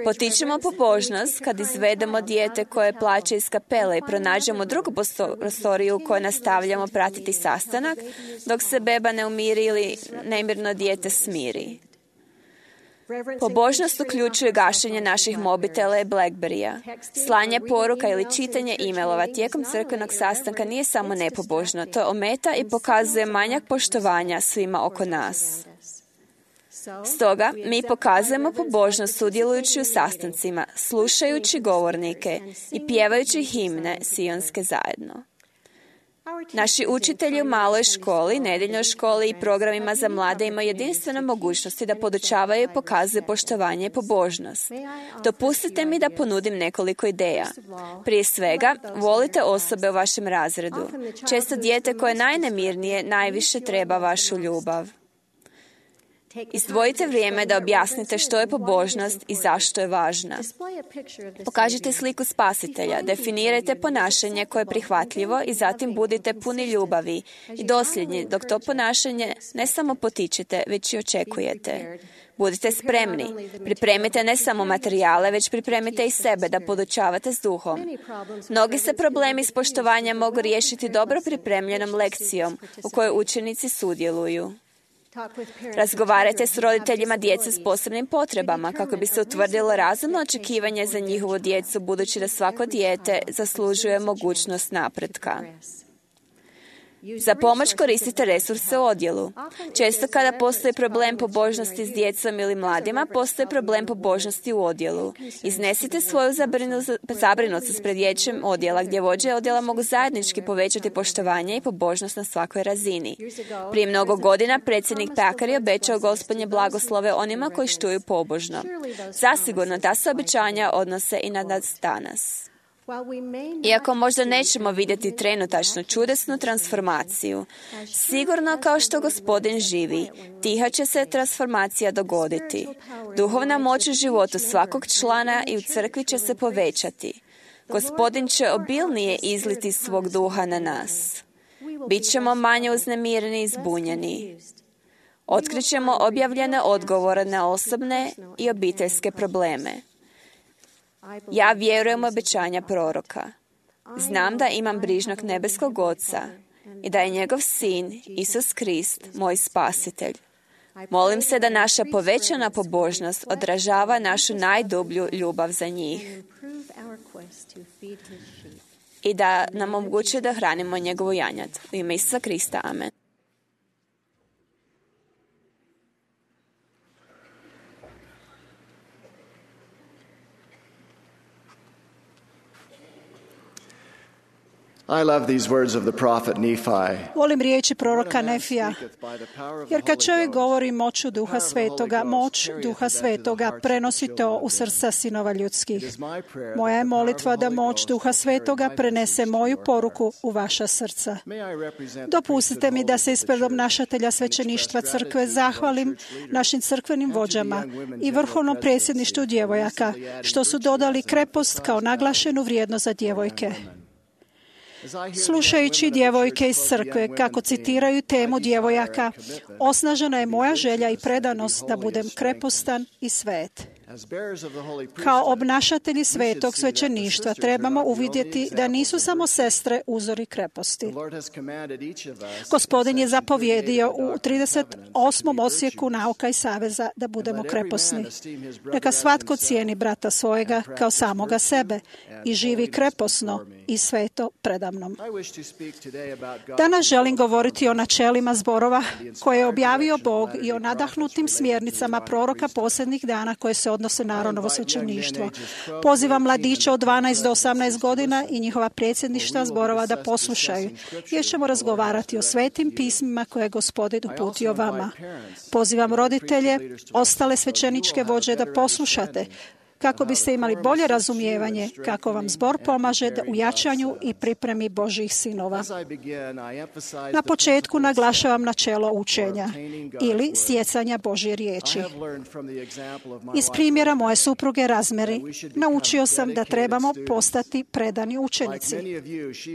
Potičemo pobožnost kad izvedemo dijete koje plaće iz kapele i pronađemo drugu prostoriju u kojoj nastavljamo pratiti sastanak, dok se beba ne umiri ili nemirno dijete smiri. Pobožnost uključuje gašenje naših mobitela i Blackberrya. Slanje poruka ili čitanje e-mailova tijekom crkvenog sastanka nije samo nepobožno, to ometa i pokazuje manjak poštovanja svima oko nas. Stoga, mi pokazujemo pobožnost sudjelujući u sastancima, slušajući govornike i pjevajući himne sionske zajedno. Naši učitelji u maloj školi, nedjeljnoj školi i programima za mlade imaju jedinstvene mogućnosti da podučavaju i pokazuju poštovanje i pobožnost. Dopustite mi da ponudim nekoliko ideja. Prije svega, volite osobe u vašem razredu. Često dijete koje je najnemirnije najviše treba vašu ljubav. Izdvojite vrijeme da objasnite što je pobožnost i zašto je važna. Pokažite sliku spasitelja, definirajte ponašanje koje je prihvatljivo i zatim budite puni ljubavi i dosljedni dok to ponašanje ne samo potičete, već i očekujete. Budite spremni. Pripremite ne samo materijale, već pripremite i sebe da podučavate s duhom. Mnogi se problemi s poštovanjem mogu riješiti dobro pripremljenom lekcijom u kojoj učenici sudjeluju. Razgovarajte s roditeljima djece s posebnim potrebama kako bi se utvrdilo razumno očekivanje za njihovu djecu, budući da svako dijete zaslužuje mogućnost napretka. Za pomoć koristite resurse u odjelu. Često kada postoji problem pobožnosti s djecom ili mladima, postoji problem pobožnosti u odjelu. Iznesite svoju zabrinutost pred vijećem odjela, gdje vođe odjela mogu zajednički povećati poštovanje i pobožnost na svakoj razini. Prije mnogo godina predsjednik Packard je obećao Gospodnje blagoslove onima koji štuju pobožno. Zasigurno ta se obećanja odnose i na nas danas. Iako možda nećemo vidjeti trenutačnu čudesnu transformaciju, sigurno kao što Gospodin živi, tiha će se transformacija dogoditi. Duhovna moć u životu svakog člana i u crkvi će se povećati. Gospodin će obilnije izliti svog duha na nas. Bićemo manje uznemireni i zbunjeni. Otkrićemo objavljene odgovore na osobne i obiteljske probleme. Ja vjerujem u obećanja proroka. Znam da imam brižnog nebeskog Oca i da je njegov sin, Isus Krist, moj spasitelj. Molim se da naša povećana pobožnost odražava našu najdublju ljubav za njih i da nam omogućuje da hranimo njegovu janjad. U ime Isusa Krista. Amen. I love these words of the prophet Nephi. Volim riječi proroka Nefija, jer kad čovjek govori moć Duha Svetoga prenosi to u srca sinova ljudskih. Moja je molitva da moć Duha Svetoga prenese moju poruku u vaša srca. Dopustite mi da se ispred obnašatelja svećeništva crkve zahvalim našim crkvenim vođama i vrhovnom predsjedništvu djevojaka, što su dodali krepost kao naglašenu vrijednost za djevojke. Slušajući djevojke iz crkve kako citiraju temu djevojaka, osnažena je moja želja i predanost da budem krepostan i svet. Kao obnašatelji svetog svećeništva trebamo uvidjeti da nisu samo sestre uzori kreposti. Gospodin je zapovjedio u 38. odsjeku nauka i saveza da budemo kreposni. Neka svatko cijeni brata svojega kao samoga sebe i živi kreposno i sveto predamnom. Danas želim govoriti o načelima zborova koje je objavio Bog i o nadahnutim smjernicama proroka posljednjih dana koje se odnose na Aaronovo svećeništvo. Pozivam mladiće od 12 do 18 godina i njihova predsjedništva zborova da poslušaju, jer ćemo razgovarati o svetim pismima koje je Gospodin uputio vama. Pozivam roditelje, ostale svećeničke vođe da poslušate, kako biste imali bolje razumijevanje kako vam zbor pomaže u jačanju i pripremi Božjih sinova. Na početku naglašavam načelo učenja ili stjecanja Božje riječi. Iz primjera moje supruge Razmeri naučio sam da trebamo postati predani učenici.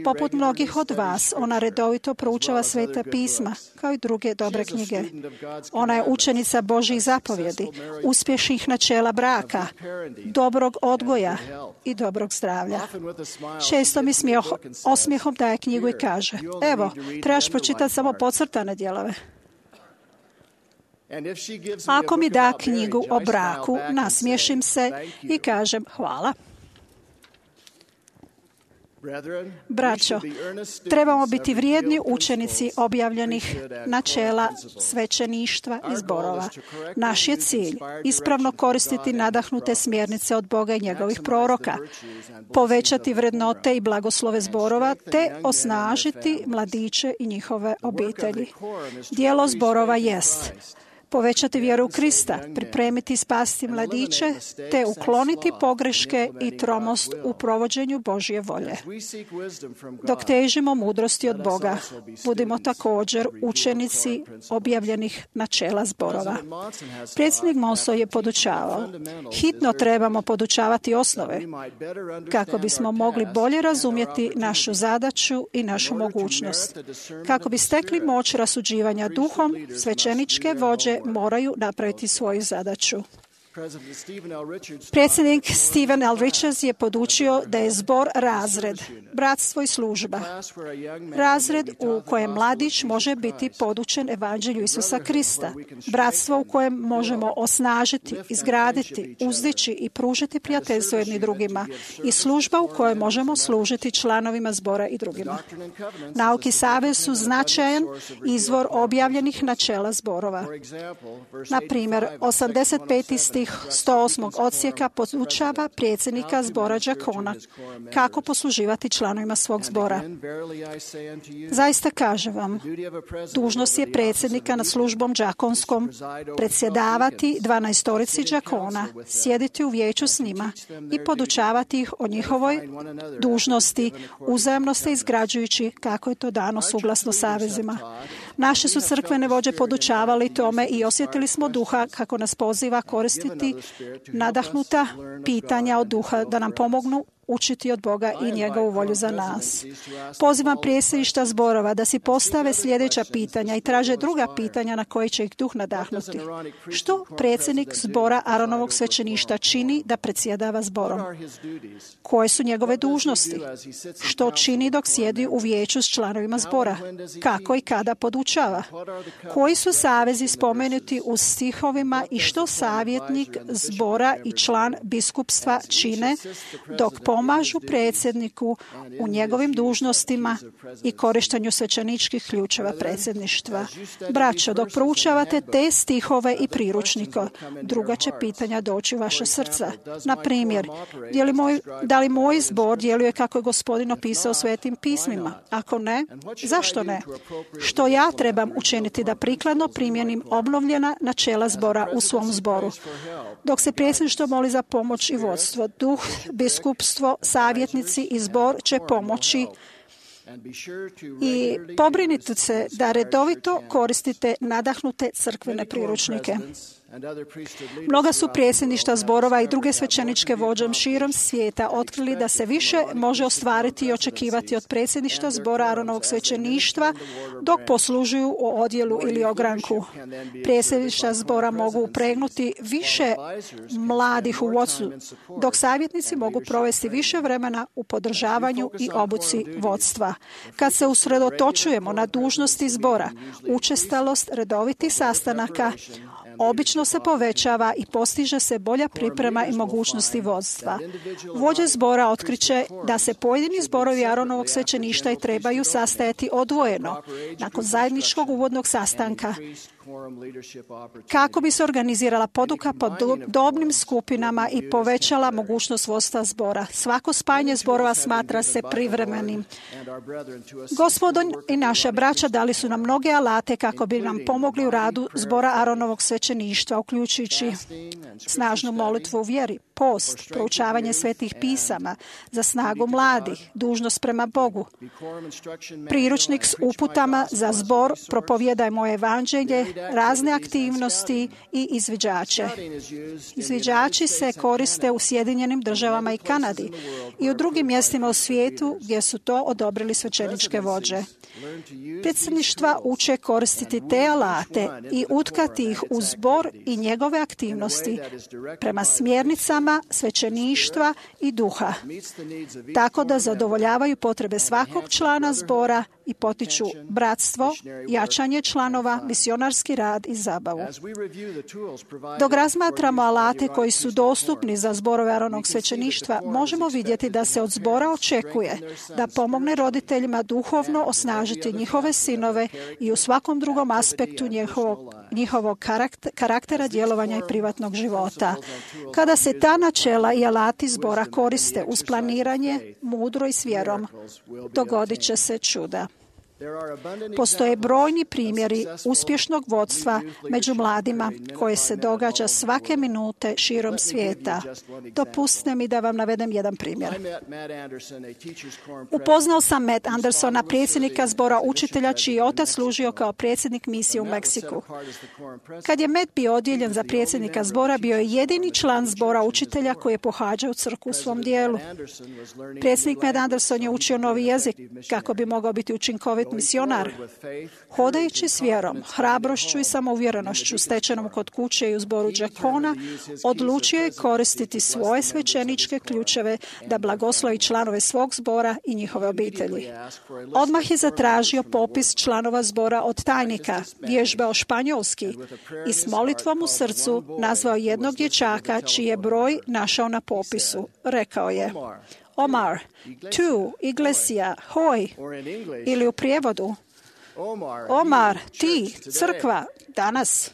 Poput mnogih od vas, ona redovito proučava sveta pisma, kao i druge dobre knjige. Ona je učenica Božjih zapovjedi, uspješnih načela braka, dobrog odgoja i dobrog zdravlja. Često mi osmijehom daje knjigu i kaže: evo, trebaš pročitati samo podcrtane dijelove. Ako mi da knjigu o braku, nasmiješim se i kažem hvala. Braćo, trebamo biti vrijedni učenici objavljenih načela svećeništva i zborova. Naš je cilj ispravno koristiti nadahnute smjernice od Boga i njegovih proroka, povećati vrednote i blagoslove zborova, te osnažiti mladiće i njihove obitelji. Dijelo zborova jest povećati vjeru u Krista, pripremiti i spasiti mladiće, te ukloniti pogreške i tromost u provođenju Božje volje. Dok težimo mudrosti od Boga, budimo također učenici objavljenih načela zborova. Predsjednik Monson je podučavao: hitno trebamo podučavati osnove kako bismo mogli bolje razumjeti našu zadaću i našu mogućnost. Kako bi stekli moć rasuđivanja duhom, svećeničke vođe moraju napraviti svoju zadaću. Predsjednik Stephen L. Richards je podučio da je zbor razred, bratstvo i služba. Razred u kojem mladić može biti podučen evanđelju Isusa Krista. Bratstvo u kojem možemo osnažiti, izgraditi, uzdići i pružiti prijateljstvo jedni drugima. I služba u kojoj možemo služiti članovima zbora i drugima. Nauki savez su značajan izvor objavljenih načela zborova. Na primjer, 85. stih 108. odsjeka podučava predsjednika zbora đakona kako posluživati članovima svog zbora. Zaista kažem vam, dužnost je predsjednika nad službom đakonskom predsjedavati 12 đakona, sjediti u vijeću s njima i podučavati ih o njihovoj dužnosti, uzajamno se izgrađujući kako je to dano suglasno savezima. Naše su crkvene vođe podučavali tome i osjetili smo duha kako nas poziva koristiti nadahnuta pitanja od duha da nam pomognu učiti od Boga i njegovu volju za nas. Pozivam predsjedništva zborova da si postave sljedeća pitanja i traže druga pitanja na koje će ih duh nadahnuti. Što predsjednik zbora Aronovog svećeništva čini da predsjedava zborom? Koje su njegove dužnosti? Što čini dok sjedi u vijeću s članovima zbora? Kako i kada podučava? Koji su savezi spomenuti u stihovima i što savjetnik zbora i član biskupstva čine dok pomažu predsjedniku u njegovim dužnostima i korištenju svećeničkih ključeva predsjedništva? Braćo, dok proučavate te stihove i priručnike, druga će pitanja doći u vaše srca. Na primjer, da li moj zbor djeluje kako je Gospodin opisao svetim pismima? Ako ne, zašto ne? Što ja trebam učiniti da prikladno primjenim obnovljena načela zbora u svom zboru? Dok se predsjedništvo moli za pomoć i vodstvo, duh, biskupstvo, savjetnici i zbor će pomoći i pobrinite se da redovito koristite nadahnute crkvene priručnike. Mnoga su predsjedništva zborova i druge svećeničke vođe širom svijeta otkrili da se više može ostvariti i očekivati od predsjedništva zbora Aronovog svećeništva dok poslužuju u odjelu ili ogranku. Predsjedništva zbora mogu upregnuti više mladih u vodstvu, dok savjetnici mogu provesti više vremena u podržavanju i obuci vodstva. Kad se usredotočujemo na dužnosti zbora, učestalost redovitih sastanaka obično se povećava i postiže se bolja priprema i mogućnosti vodstva. Vođe zbora otkriće da se pojedini zborovi Aronovog svećeništva i trebaju sastajati odvojeno nakon zajedničkog uvodnog sastanka kako bi se organizirala poduka po dobnim skupinama i povećala mogućnost vodstva zbora. Svako spajanje zborova smatra se privremenim. Gospodin i naša braća dali su nam mnoge alate kako bi nam pomogli u radu zbora Aronovog svećeništva, uključujući snažnu molitvu u vjeri, post, proučavanje svetih pisama, za snagu mladih, dužnost prema Bogu, priručnik s uputama za zbor, propovijedaj moje evanđelje, razne aktivnosti i izviđače. Izviđači se koriste u Sjedinjenim državama i Kanadi i u drugim mjestima u svijetu gdje su to odobrili svećeničke vođe. Predsjedništva uče koristiti te alate i utkati ih u zbor i njegove aktivnosti prema smjernicama svećeništva i duha, tako da zadovoljavaju potrebe svakog člana zbora i potiču bratstvo, jačanje članova, misionarski rad i zabavu. Dok razmatramo alate koji su dostupni za zborove Aronovog svećeništva, možemo vidjeti da se od zbora očekuje da pomogne roditeljima duhovno osnažiti njihove sinove i u svakom drugom aspektu njihovog karaktera, djelovanja i privatnog života. Kada se ta načela i alati zbora koriste uz planiranje, mudro i s vjerom, dogodit će se čuda. Postoje brojni primjeri uspješnog vodstva među mladima koje se događa svake minute širom svijeta. Dopustite mi da vam navedem jedan primjer. Upoznao sam Matt Andersona, predsjednika zbora učitelja čiji je otac služio kao predsjednik misije u Meksiku. Kad je Matt bio odjeljen za predsjednika zbora, bio je jedini član zbora učitelja koji je pohađao crkvu u svom dijelu. Predsjednik Matt Anderson je učio novi jezik kako bi mogao biti učinkovit misionar. Hodajući s vjerom, hrabrošću i samouvjerenošću stečenom kod kuće i u zboru đakona, odlučio je koristiti svoje svećeničke ključeve da blagoslovi članove svog zbora i njihove obitelji. Odmah je zatražio popis članova zbora od tajnika, vježbao španjolski i s molitvom u srcu nazvao jednog dječaka čiji je broj našao na popisu. Rekao je: Omar, tu, iglesia, hoj, ili u prijevodu: Omar, ti, crkva, danas.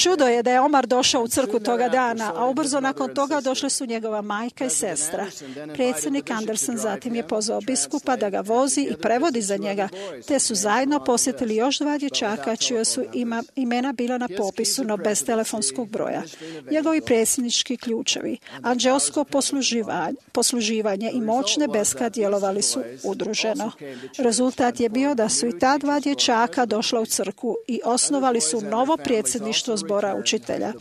Čudo je da je Omar došao u crkvu toga dana, a ubrzo nakon toga došle su njegova majka i sestra. Predsjednik Anderson zatim je pozvao biskupa da ga vozi i prevodi za njega, te su zajedno posjetili još 2 dječaka čija su imena bila na popisu, no bez telefonskog broja. Njegovi predsjednički ključevi, anđelsko posluživanje i moć nebeska djelovali su udruženo. Rezultat je bio da su i ta 2 dječaka došla u crkvu i osnovali su novo predsjedništvo zbora učitelja.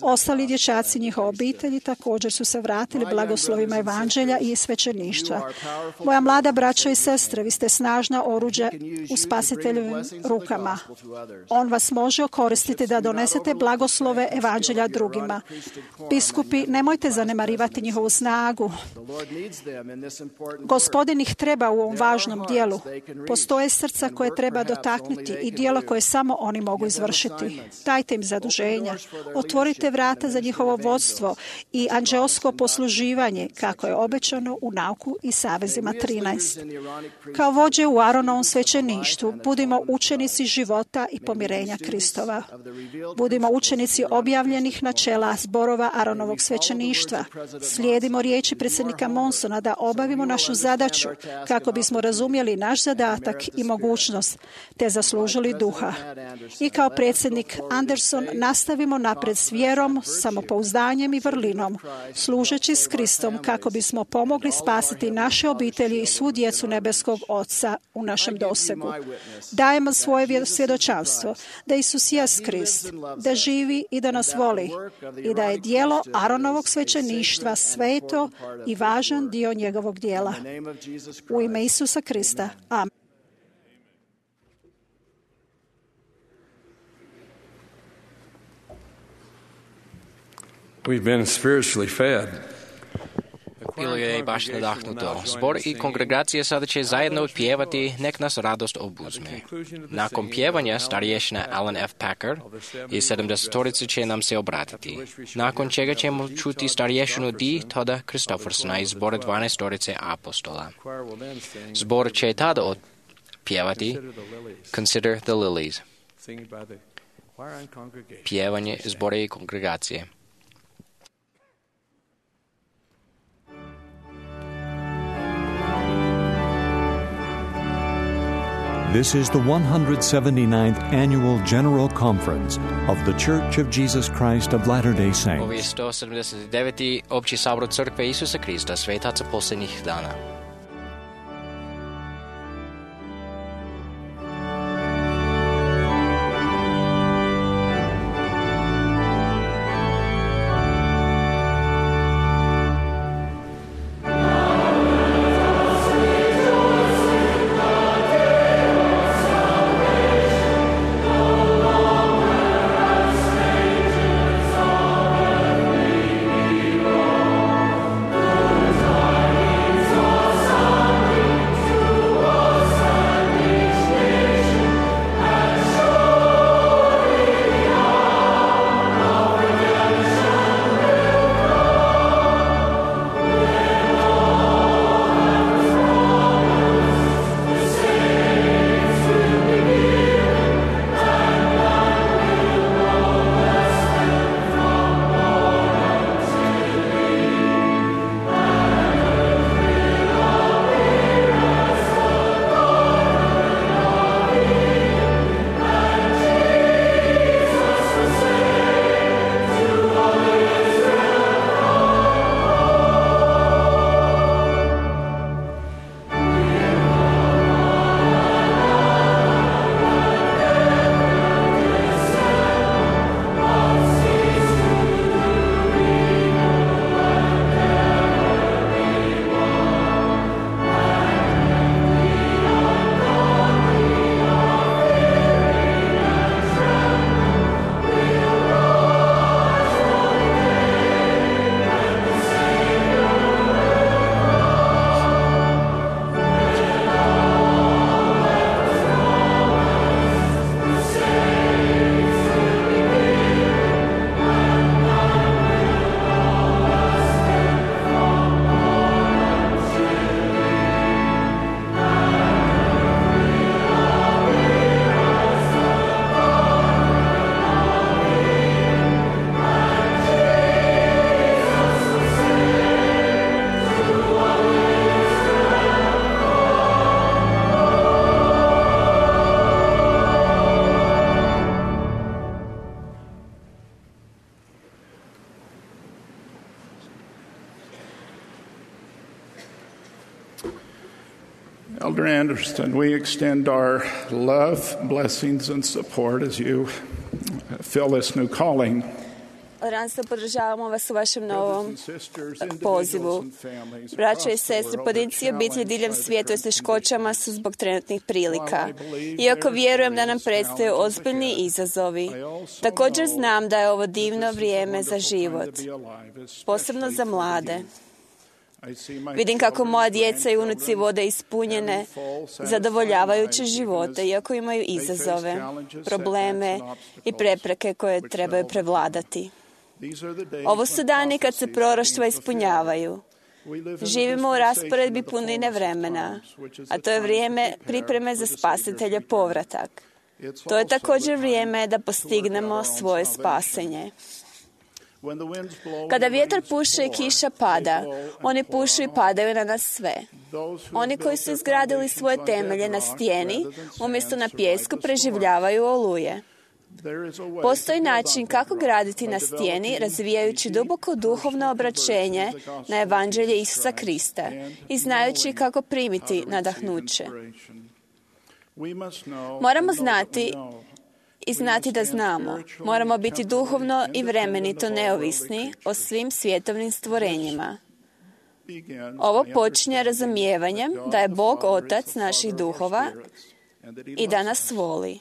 Ostali dječaci, njihove obitelji, također su se vratili blagoslovima evanđelja i svećeništva. Moja mlada braćo i sestre, vi ste snažna oruđa u Spasiteljevim rukama. On vas može koristiti da donesete blagoslove evanđelja drugima. Biskupi, nemojte zanemarivati njihovu snagu. Gospodin ih treba u ovom važnom dijelu. Postoje srca koje treba dotaknuti i dijelo koje samo oni mogu izvršiti. Dajte im zaduženja. Otvorite vrata za njihovo vodstvo i anđelsko posluživanje, kako je obećano u Nauku i savezima 13. Kao vođe u Aronovom svećeništvu, budimo učenici života i pomirenja Kristova. Budimo učenici objavljenih načela zborova Aronovog svećeništva. Slijedimo riječi predsjednika Monsona da obavimo našu zadaću kako bismo razumjeli naš zadatak i mogućnost, te zaslužili duha. I kao predsjednik Anderson nastavimo napred s vjerom, samopouzdanjem i vrlinom, služeći s Kristom kako bismo pomogli spasiti naše obitelji i svu djecu nebeskog Oca u našem dosegu. Dajemo svoje svjedočanstvo da Isus jest Krist, da živi i da nas voli i da je djelo Aronovog svećeništva sveto i važan dio njegovog djela. U ime Isusa Krista. Amen. We've been spiritually fed. Bilo je baš nadahnuto. Zbor i kongregacije sada će zajedno pjevati Nek nas radost obuzme. Nakon pjevanja starješina Alan F. Packer i 70-torice će nam se obratiti. Nakon čega ćemo čuti starješinu D. Toda Christophersona iz zbora 12-torice apostola. Zbor će tada pjevati Consider the Lilies. Pjevanje zbora i kongregacije. This is the 179th Annual General Conference of the Church of Jesus Christ of Latter-day Saints. Ovo je 179. Opći sabor Crkve Isusa Krista, svetaca posljednjih dana. Tidings of Anderson, we extend our love, blessings and support as you fill this new calling. Ranstvo, podržavamo vas u vašem novom pozivu. Braćo i sestre, pojedinci i obitelji diljem svijeta s teškoćama su zbog trenutnih prilika. Iako vjerujem da nam predstoje ozbiljni izazovi, također znam da je ovo divno vrijeme za život, posebno za mlade. Vidim kako moja djeca i unuci vode ispunjene, zadovoljavajuće živote, iako imaju izazove, probleme i prepreke koje trebaju prevladati. Ovo su dani kad se proroštva ispunjavaju. Živimo u rasporedbi punine vremena, a to je vrijeme pripreme za spasitelja povratak. To je također vrijeme da postignemo svoje spasenje. Kada vjetar puše i kiša pada, oni pušu i padaju na nas sve. Oni koji su izgradili svoje temelje na stijeni, umjesto na pijesku, preživljavaju oluje. Postoji način kako graditi na stijeni, razvijajući duboko duhovno obraćenje na evanđelje Isusa Krista i znajući kako primiti nadahnuće. Moramo znati i znati da znamo. Moramo biti duhovno i vremenito neovisni o svim svjetovnim stvorenjima. Ovo počinje razumijevanjem da je Bog Otac naših duhova i da nas voli.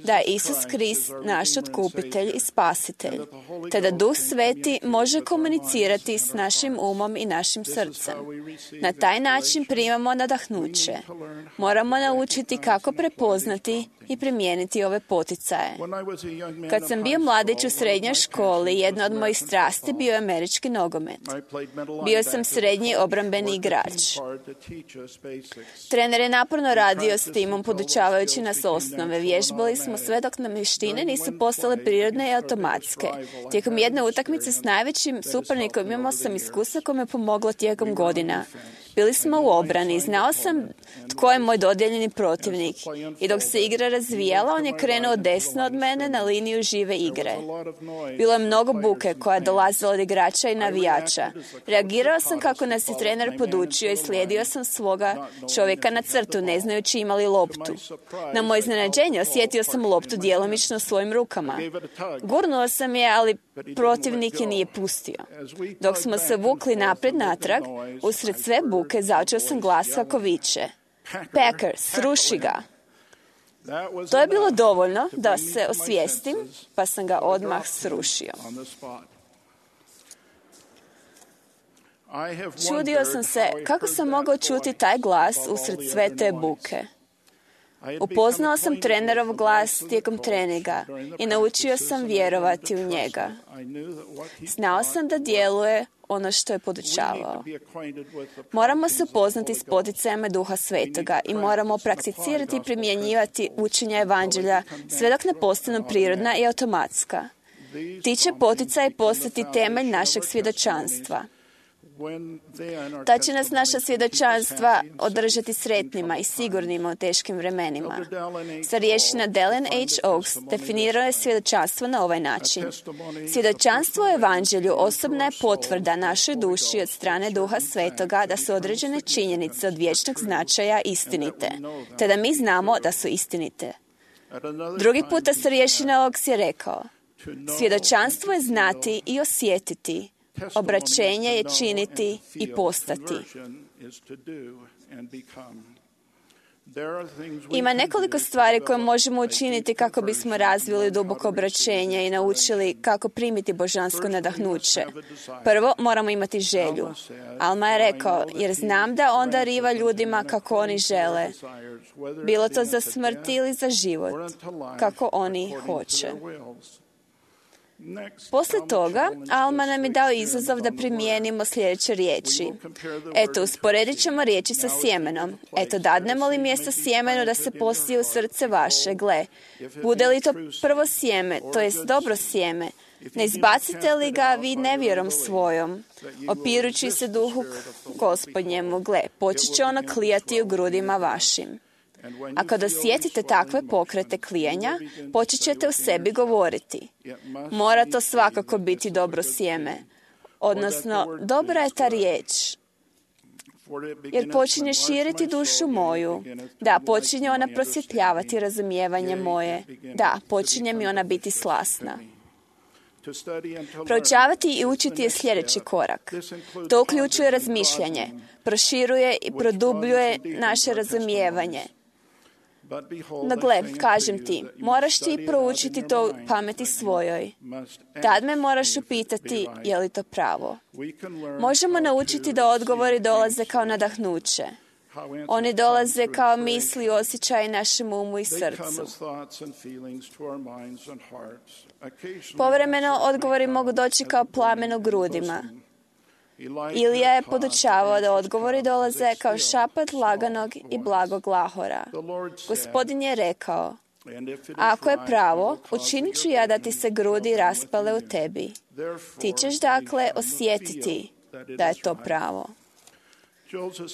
Da je Isus Krist naš otkupitelj i spasitelj, te da Duh Sveti može komunicirati s našim umom i našim srcem. Na taj način primamo nadahnuće. Moramo naučiti kako prepoznati i primijeniti ove poticaje. Kad sam bio mladić u srednjoj školi, jedna od mojih strasti bio je američki nogomet. Bio sam srednji obrambeni igrač. Trener je naporno radio s timom, podučavajući nas osnove. Vježbali smo sve dok nam vještine nisu postale prirodne i automatske. Tijekom jedne utakmice s najvećim suparnikom imao sam iskustvo koje me pomoglo tijekom godina. Bili smo u obrani, znao sam tko je moj dodijeljeni protivnik i dok se igra razvijala, on je krenuo desno od mene na liniju žive igre. Bilo je mnogo buke koja je dolazila od igrača i navijača. Reagirao sam kako nas je trener podučio i slijedio sam svoga čovjeka na crtu, ne znajući ima li loptu. Na moje iznenađenje osjetio sam loptu djelomično svojim rukama. Gurnuo sam je, ali protivnik je nije pustio. Dok smo se vukli naprijed natrag, usred sve buke začuo sam glas kako viče: Packers, sruši ga! To je bilo dovoljno da se osvijestim, pa sam ga odmah srušio. Čudio sam se kako sam mogao čuti taj glas usred sve te buke. Upoznao sam trenerov glas tijekom treninga i naučio sam vjerovati u njega. Znao sam da djeluje ono što je podučavao. Moramo se upoznati s poticajima Duha Svetoga i moramo prakticirati i primjenjivati učenja evanđelja sve dok ne postanu prirodna i automatska. Ti će poticaji postati temelj našeg svjedočanstva. Ta će nas naša svjedočanstva održati sretnima i sigurnima u teškim vremenima. Starješina Dallin H. Oaks definirao je svjedočanstvo na ovaj način. Svjedočanstvo o evanđelju osobna je potvrda našoj duši od strane Duha Svetoga da su određene činjenice od vječnog značaja istinite, te da mi znamo da su istinite. Drugi puta starješina Oaks je rekao: svjedočanstvo je znati i osjetiti, obraćenje je činiti i postati. Ima nekoliko stvari koje možemo učiniti kako bismo razvili duboko obraćenje i naučili kako primiti božansko nadahnuće. Prvo, moramo imati želju. Alma je rekao: jer znam da on dariva ljudima kako oni žele, bilo to za smrt ili za život, kako oni hoće. Poslije toga, Alma nam je dao izazov da primijenimo sljedeće riječi. Eto, usporedit ćemo riječi sa sjemenom. Eto, dadnemo li mjesto sjemenu da se posije u srce vaše? Gle, bude li to prvo sjeme, to jest dobro sjeme, ne izbacite li ga vi nevjerom svojom, opirući se duhu Gospodnjemu? Gle, počet će ono klijati u grudima vašim. A kada osjetite takve pokrete klijanja, počet ćete u sebi govoriti: mora to svakako biti dobro sjeme. Odnosno, dobra je ta riječ. jer počinje širiti dušu moju. Da, počinje ona prosvjetljavati razumijevanje moje. Da, počinje mi ona biti slasna. Proučavati i učiti je sljedeći korak. To uključuje razmišljanje, proširuje i produbljuje naše razumijevanje. No gle, kažem ti, moraš ti proučiti to u pameti svojoj. Tad me moraš upitati je li to pravo. Možemo naučiti da odgovori dolaze kao nadahnuće. Oni dolaze kao misli i osjećaji našem umu i srcu. Povremeno odgovori mogu doći kao plamen u grudima. Ilija je podučavao da odgovori dolaze kao šapat laganog i blagog lahora. Gospodin je rekao, ako je pravo, učinit ću ja da ti se grudi raspale u tebi. Ti ćeš dakle osjetiti da je to pravo.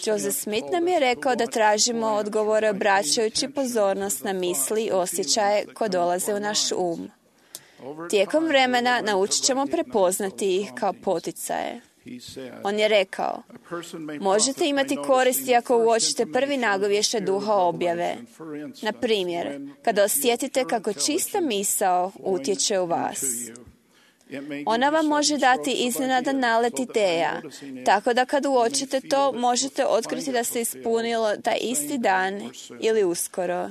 Joseph Smith nam je rekao da tražimo odgovore obraćajući pozornost na misli i osjećaje koje dolaze u naš um. Tijekom vremena naučit ćemo prepoznati ih kao poticaje. On je rekao, možete imati koristi ako uočite prvi nagovještaj duha objave. Na primjer, kada osjetite kako čista misao utječe u vas. Ona vam može dati iznenadan nalet ideja, tako da kad uočite to, možete otkriti da se ispunilo taj isti dan ili uskoro.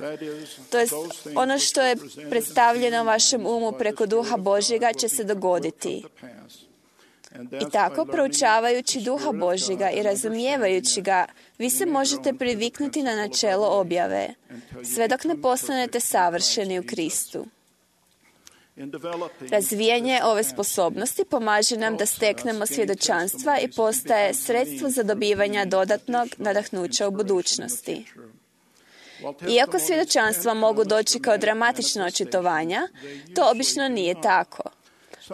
To jest, ono što je predstavljeno vašem umu preko duha Božjega će se dogoditi. I tako, proučavajući duha Božjega i razumijevajući ga, vi se možete priviknuti na načelo objave, sve dok ne postanete savršeni u Kristu. Razvijanje ove sposobnosti pomaže nam da steknemo svjedočanstva i postaje sredstvo za dobivanje dodatnog nadahnuća u budućnosti. Iako svjedočanstva mogu doći kao dramatična očitovanja, to obično nije tako.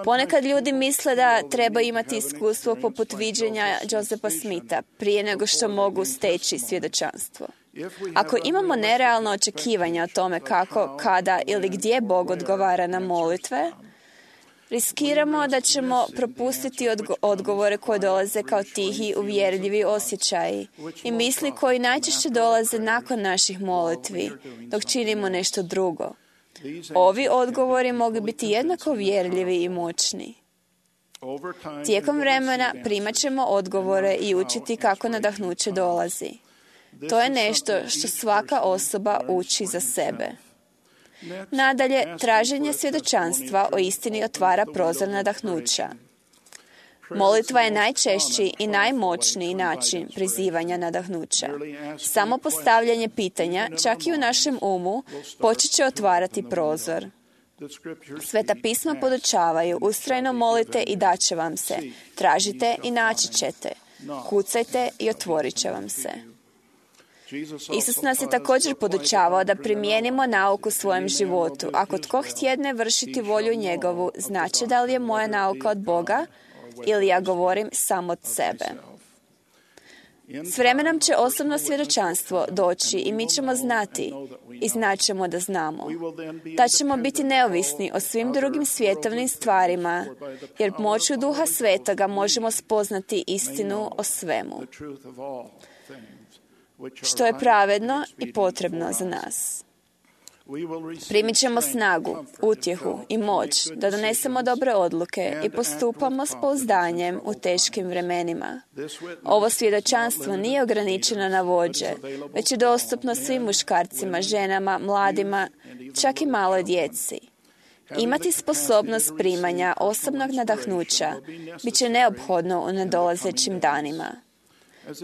Ponekad ljudi misle da treba imati iskustvo poput viđenja Josepha Smitha prije nego što mogu steći svjedočanstvo. Ako imamo nerealno očekivanja o tome kako, kada ili gdje Bog odgovara na molitve, riskiramo da ćemo propustiti odgovore koje dolaze kao tihi, uvjerljivi osjećaji i misli koji najčešće dolaze nakon naših molitvi, dok činimo nešto drugo. Ovi odgovori mogu biti jednako uvjerljivi i moćni. Tijekom vremena primat ćemo odgovore i učiti kako nadahnuće dolazi. To je nešto što svaka osoba uči za sebe. Nadalje, traženje svjedočanstva o istini otvara prozor nadahnuća. Molitva je najčešći i najmoćniji način prizivanja nadahnuća. Samo postavljanje pitanja, čak i u našem umu, počet će otvarati prozor. Sveta pisma podučavaju, ustrajno molite i daće vam se. Tražite i naći ćete. Kucajte i otvorit će vam se. Isus nas je također podučavao da primijenimo nauku u svojem životu. Ako tko htjedne vršiti volju njegovu, znači da li je moja nauka od Boga ili ja govorim samo od sebe. S vremenom će osobno svjedočanstvo doći i mi ćemo znati i znaćemo da znamo. Da ćemo biti neovisni o svim drugim svjetovnim stvarima, jer moću Duha Svetoga možemo spoznati istinu o svemu, što je pravedno i potrebno za nas. Primit ćemo snagu, utjehu i moć da donesemo dobre odluke i postupamo s pouzdanjem u teškim vremenima. Ovo svjedočanstvo nije ograničeno na vođe, već je dostupno svim muškarcima, ženama, mladima, čak i maloj djeci. Imati sposobnost primanja osobnog nadahnuća bit će neophodno u nadolazećim danima.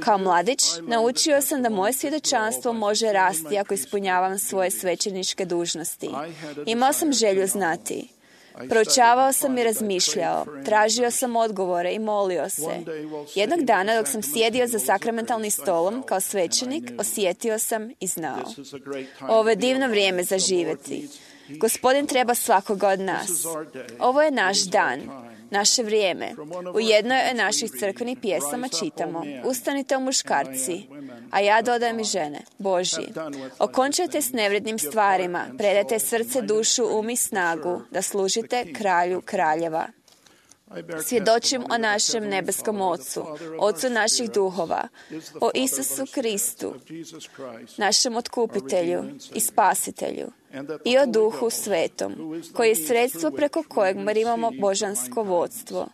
Kao mladić, naučio sam da moje svjedočanstvo može rasti ako ispunjavam svoje svećeničke dužnosti. Imao sam želju znati. Proučavao sam i razmišljao, tražio sam odgovore i molio se. Jednog dana, dok sam sjedio za sakramentalnim stolom kao svećenik, osjetio sam i znao. Ovo je divno vrijeme za živjeti. Gospodin treba svakoga od nas. Ovo je naš dan. Naše vrijeme. U jednoj od naših crkvenih pjesama čitamo: Ustanite, muškarci, a ja dodajem i žene, Božji. Okončajte s nevrednim stvarima, predajte srce, dušu, um i snagu, da služite kralju kraljeva. Svjedočim o našem nebeskom Ocu, Ocu naših duhova, o Isusu Kristu, našem otkupitelju i spasitelju, i o Duhu Svetom, koji je sredstvo preko kojeg imamo božansko vodstvo.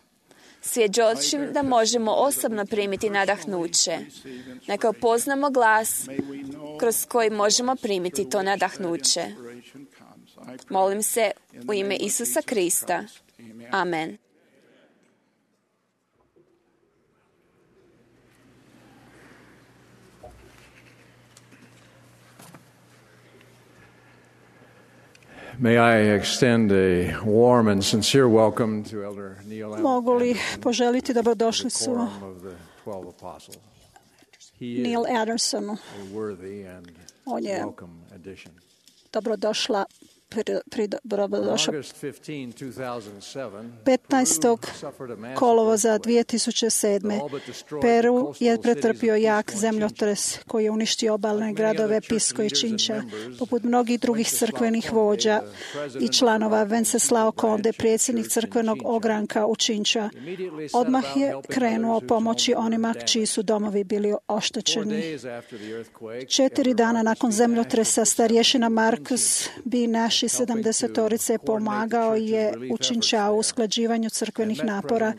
Svjedočim da možemo osobno primiti nadahnuće. Neka upoznamo glas kroz koji možemo primiti to nadahnuće. Molim se u ime Isusa Krista. Amen. May I extend a warm and sincere welcome to Elder Neil Anderson. Mogu li poželiti dobrodošlicu Neil Andersonu. On je dobrodošla dobrodošao 15. kolovoza 2007. Peru je pretrpio jak zemljotres koji je uništio obalne gradove Pisco i Chincha. Poput mnogih drugih crkvenih vođa i članova, Wenceslao Conde, predsjednik crkvenog ogranka u Chincha, odmah je krenuo pomoći onima čiji su domovi bili oštećeni. 4 dana nakon zemljotresa starješina Markus B. Nash 70-torice pomagao je u Chinchau u usklađivanju crkvenih napora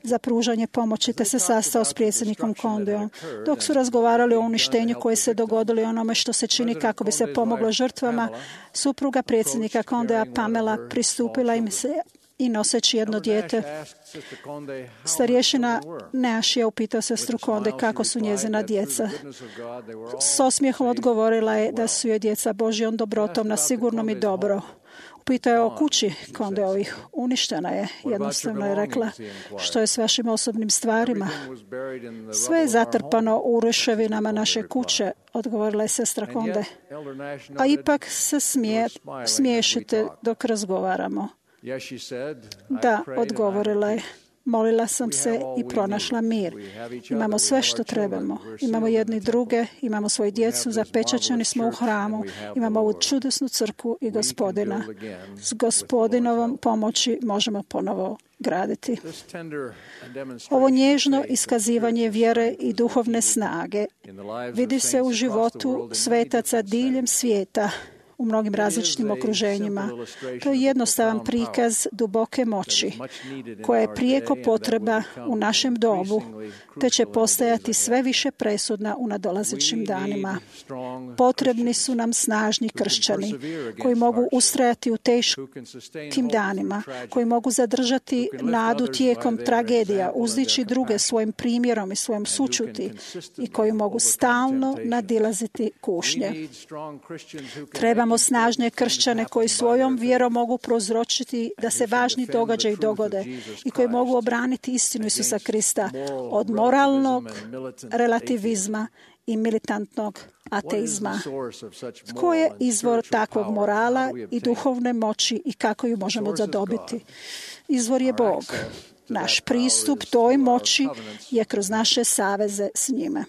za pružanje pomoći, te se sastao s predsjednikom Condeom. Dok su razgovarali o uništenju koje se dogodilo i onome što se čini kako bi se pomoglo žrtvama, supruga predsjednika Condea, Pamela, pristupila im se i noseći jedno dijete. Starješina Nash je upitao sestru Conde kako su njezina djeca. S osmijehom odgovorila je da su joj djeca Božjom dobrotom na sigurnom i dobro. Upitao je o kući Condeovih. Uništena je, jednostavno je rekla. Što je s vašim osobnim stvarima? Sve je zatrpano u ruševinama naše kuće, odgovorila je sestra Conde. A ipak se smiješite dok razgovaramo. Da, odgovorila je. Molila sam se i pronašla mir. Imamo sve što trebamo. Imamo jedni druge, imamo svoju djecu, zapečaćeni smo u hramu, imamo ovu čudesnu crkvu i Gospodina. S Gospodinovom pomoći možemo ponovo graditi. Ovo nježno iskazivanje vjere i duhovne snage vidi se u životu svetaca diljem svijeta, u mnogim različitim okruženjima. To je jednostavan prikaz duboke moći, koja je prijeko potreba u našem dobu, te će postajati sve više presudna u nadolazećim danima. Potrebni su nam snažni kršćani, koji mogu ustrajati u teškim danima, koji mogu zadržati nadu tijekom tragedija, uzdići druge svojim primjerom i svojom sućuti i koji mogu stalno nadilaziti kušnje. Trebamo snažne kršćane koji svojom vjerom mogu prouzročiti da se važni događaji dogode i koji mogu obraniti istinu Isusa Krista od moralnog relativizma i militantnog ateizma. Tko je izvor takvog morala i duhovne moći i kako ju možemo zadobiti? Izvor je Bog. Naš pristup toj moći je kroz naše saveze s njime.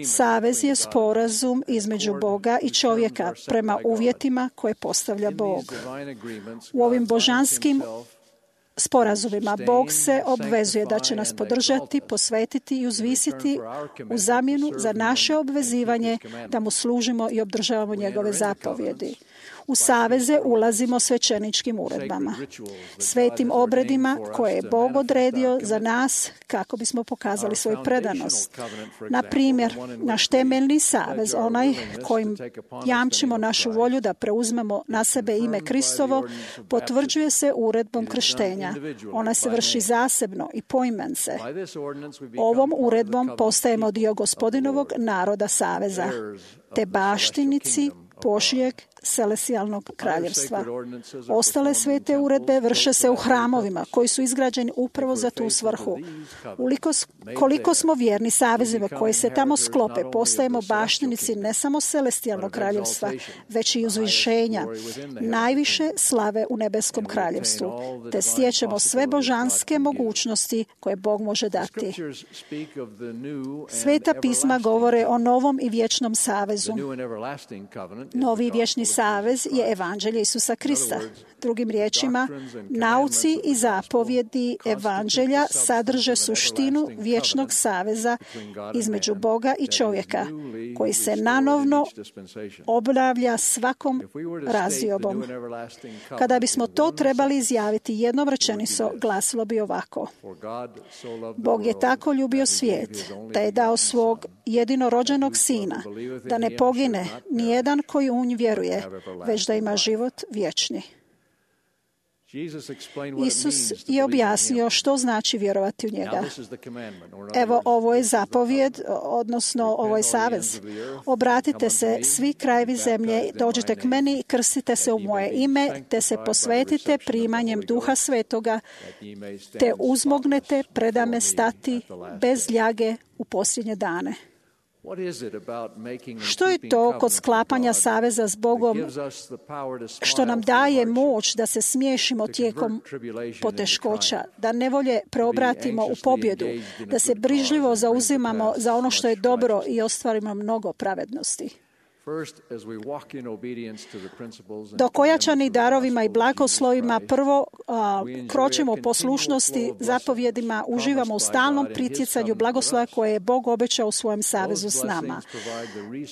Savez je sporazum između Boga i čovjeka prema uvjetima koje postavlja Bog. U ovim božanskim sporazumima Bog se obvezuje da će nas podržati, posvetiti i uzvisiti u zamjenu za naše obvezivanje da mu služimo i obdržavamo njegove zapovjedi. U saveze ulazimo svećeničkim uredbama, svetim obredima koje je Bog odredio za nas kako bismo pokazali svoju predanost. Na primjer, naš temeljni savez, onaj kojim jamčimo našu volju da preuzmemo na sebe ime Kristovo, potvrđuje se uredbom krštenja. Ona se vrši zasebno i poimence. Ovom uredbom postajemo dio Gospodinovog naroda saveza, te baštinici Božjeg celestijalnog kraljevstva. Ostale svete uredbe vrše se u hramovima koji su izgrađeni upravo za tu svrhu. Koliko smo vjerni savezima koji se tamo sklope, postajemo baštinici ne samo celestijalnog kraljevstva, već i uzvišenja, najviše slave u nebeskom kraljevstvu, te stječemo sve božanske mogućnosti koje Bog može dati. Sveta pisma govore o novom i vječnom savezu. Novi i vječni savez je evanđelje Isusa Krista. Drugim riječima, nauci i zapovjedi evanđelja sadrže suštinu vječnog saveza između Boga i čovjeka, koji se nanovno obnavlja svakom razdiobom. Kada bismo to trebali izjaviti jednom rečenicom, glasilo bi ovako: Bog je tako ljubio svijet da je dao svog jedinorođenog sina, da ne pogine nijedan koji u nj vjeruje, već da ima život vječni. Isus je objasnio što znači vjerovati u njega. Evo, ovo je zapovjed, odnosno ovo je savez. Obratite se svi krajevi zemlje, dođite k meni i krstite se u moje ime, te se posvetite primanjem Duha Svetoga, te uzmognete predame stati bez ljage u posljednje dane. Što je to kod sklapanja saveza s Bogom što nam daje moć da se smiješimo tijekom poteškoća, da nevolje preobratimo u pobjedu, da se brižljivo zauzimamo za ono što je dobro i ostvarimo mnogo pravednosti? Dok ojačani darovima i blagoslovima prvo kročimo u poslušnosti zapovjedima, uživamo u stalnom pritjecanju blagoslova koje je Bog obećao u svojem savezu s nama.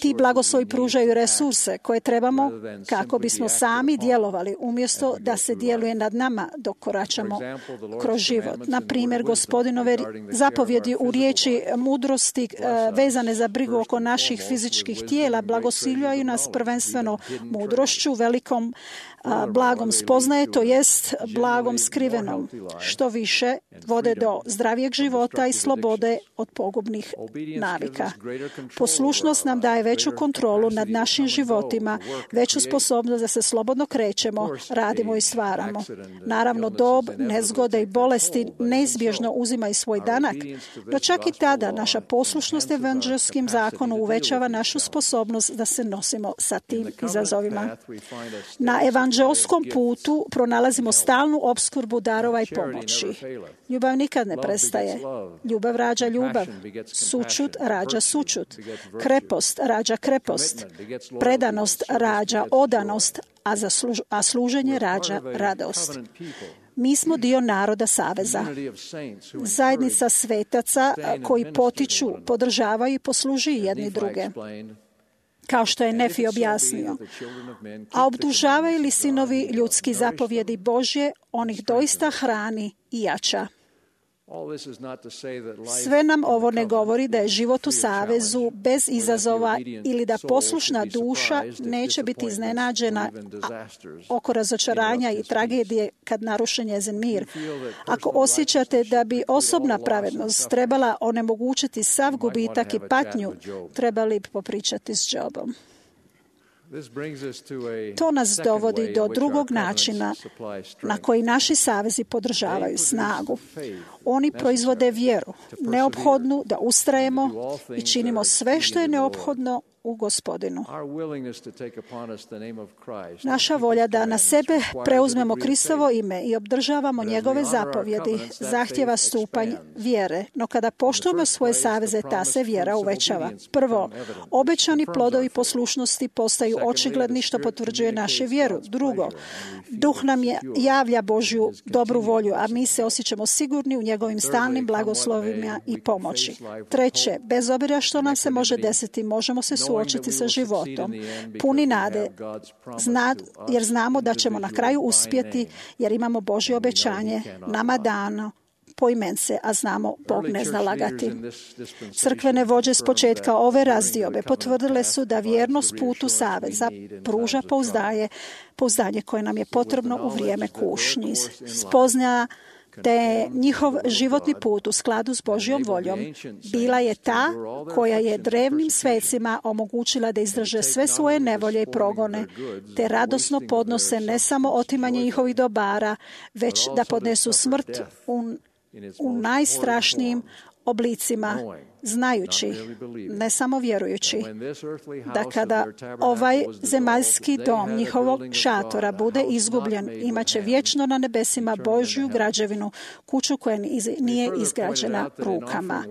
Ti blagoslovi pružaju resurse koje trebamo kako bismo sami djelovali, umjesto da se djeluje nad nama dok koračamo kroz život. Na primjer, Gospodinove zapovjedi u riječi mudrosti vezane za brigu oko naših fizičkih tijela blagosiljaju nas prvenstveno mudrošću, velikom blagom spoznaje, to jest blagom skrivenom, što više vode do zdravijeg života i slobode od pogubnih navika. Poslušnost nam daje veću kontrolu nad našim životima, veću sposobnost da se slobodno krećemo, radimo i stvaramo. Naravno, dob, nezgode i bolesti neizbježno uzimaju svoj danak, no čak i tada naša poslušnost evanđelskim zakonu uvećava našu sposobnost da se nosimo sa tim izazovima. Na evanđelskom putu pronalazimo stalnu opskrbu darova i pomoći. Ljubav nikad ne prestaje. Ljubav rađa ljubav. Sućut rađa sućut. Krepost rađa krepost. Predanost rađa odanost, a služenje rađa radost. Mi smo dio naroda saveza. Zajednica svetaca koji potiču, podržavaju i poslužuju jedni druge. Kao što je Nefi objasnio. A obdužavaju li sinovi ljudski zapovjedi Božje, on ih doista hrani i jača. Sve nam ovo ne govori da je život u savezu bez izazova ili da poslušna duša neće biti iznenađena oko razočaranja i tragedije kad naruši njezin mir. Ako osjećate da bi osobna pravednost trebala onemogućiti sav gubitak i patnju, trebali bi popričati s Jobom. To nas dovodi do drugog načina na koji naši savezi podržavaju snagu. Oni proizvode vjeru, neophodnu da ustrajemo i činimo sve što je neophodno u Gospodinu. Naša volja da na sebe preuzmemo Kristovo ime i obdržavamo njegove zapovjedi zahtjeva stupanj vjere, no kada poštujemo svoje saveze, ta se vjera uvećava. Prvo, obećani plodovi poslušnosti postaju očigledni što potvrđuje našu vjeru. Drugo, Duh nam javlja Božju dobru volju, a mi se osjećamo sigurni u njegovim stalnim blagoslovima i pomoći. Treće, bez obzira što nam se može desiti, možemo se suočiti sa životom, puni nade, jer znamo da ćemo na kraju uspjeti, jer imamo Božje obećanje nama dano poimence, a znamo Bog ne zna lagati. Crkvene vođe s početka ove razdiobe potvrdile su da vjernost putu saveza pruža pouzdanje koje nam je potrebno u vrijeme kušnji. Spoznaja da je njihov životni put u skladu s Božjom voljom bila je ta koja je drevnim svecima omogućila da izdrže sve svoje nevolje i progone, te radosno podnose ne samo otimanje njihovih dobara, već da podnesu smrt u najstrašnijim oblicima znajući, ne samo vjerujući, da kada ovaj zemaljski dom njihovog šatora bude izgubljen, imat će vječno na nebesima Božju građevinu, kuću koja nije izgrađena rukama.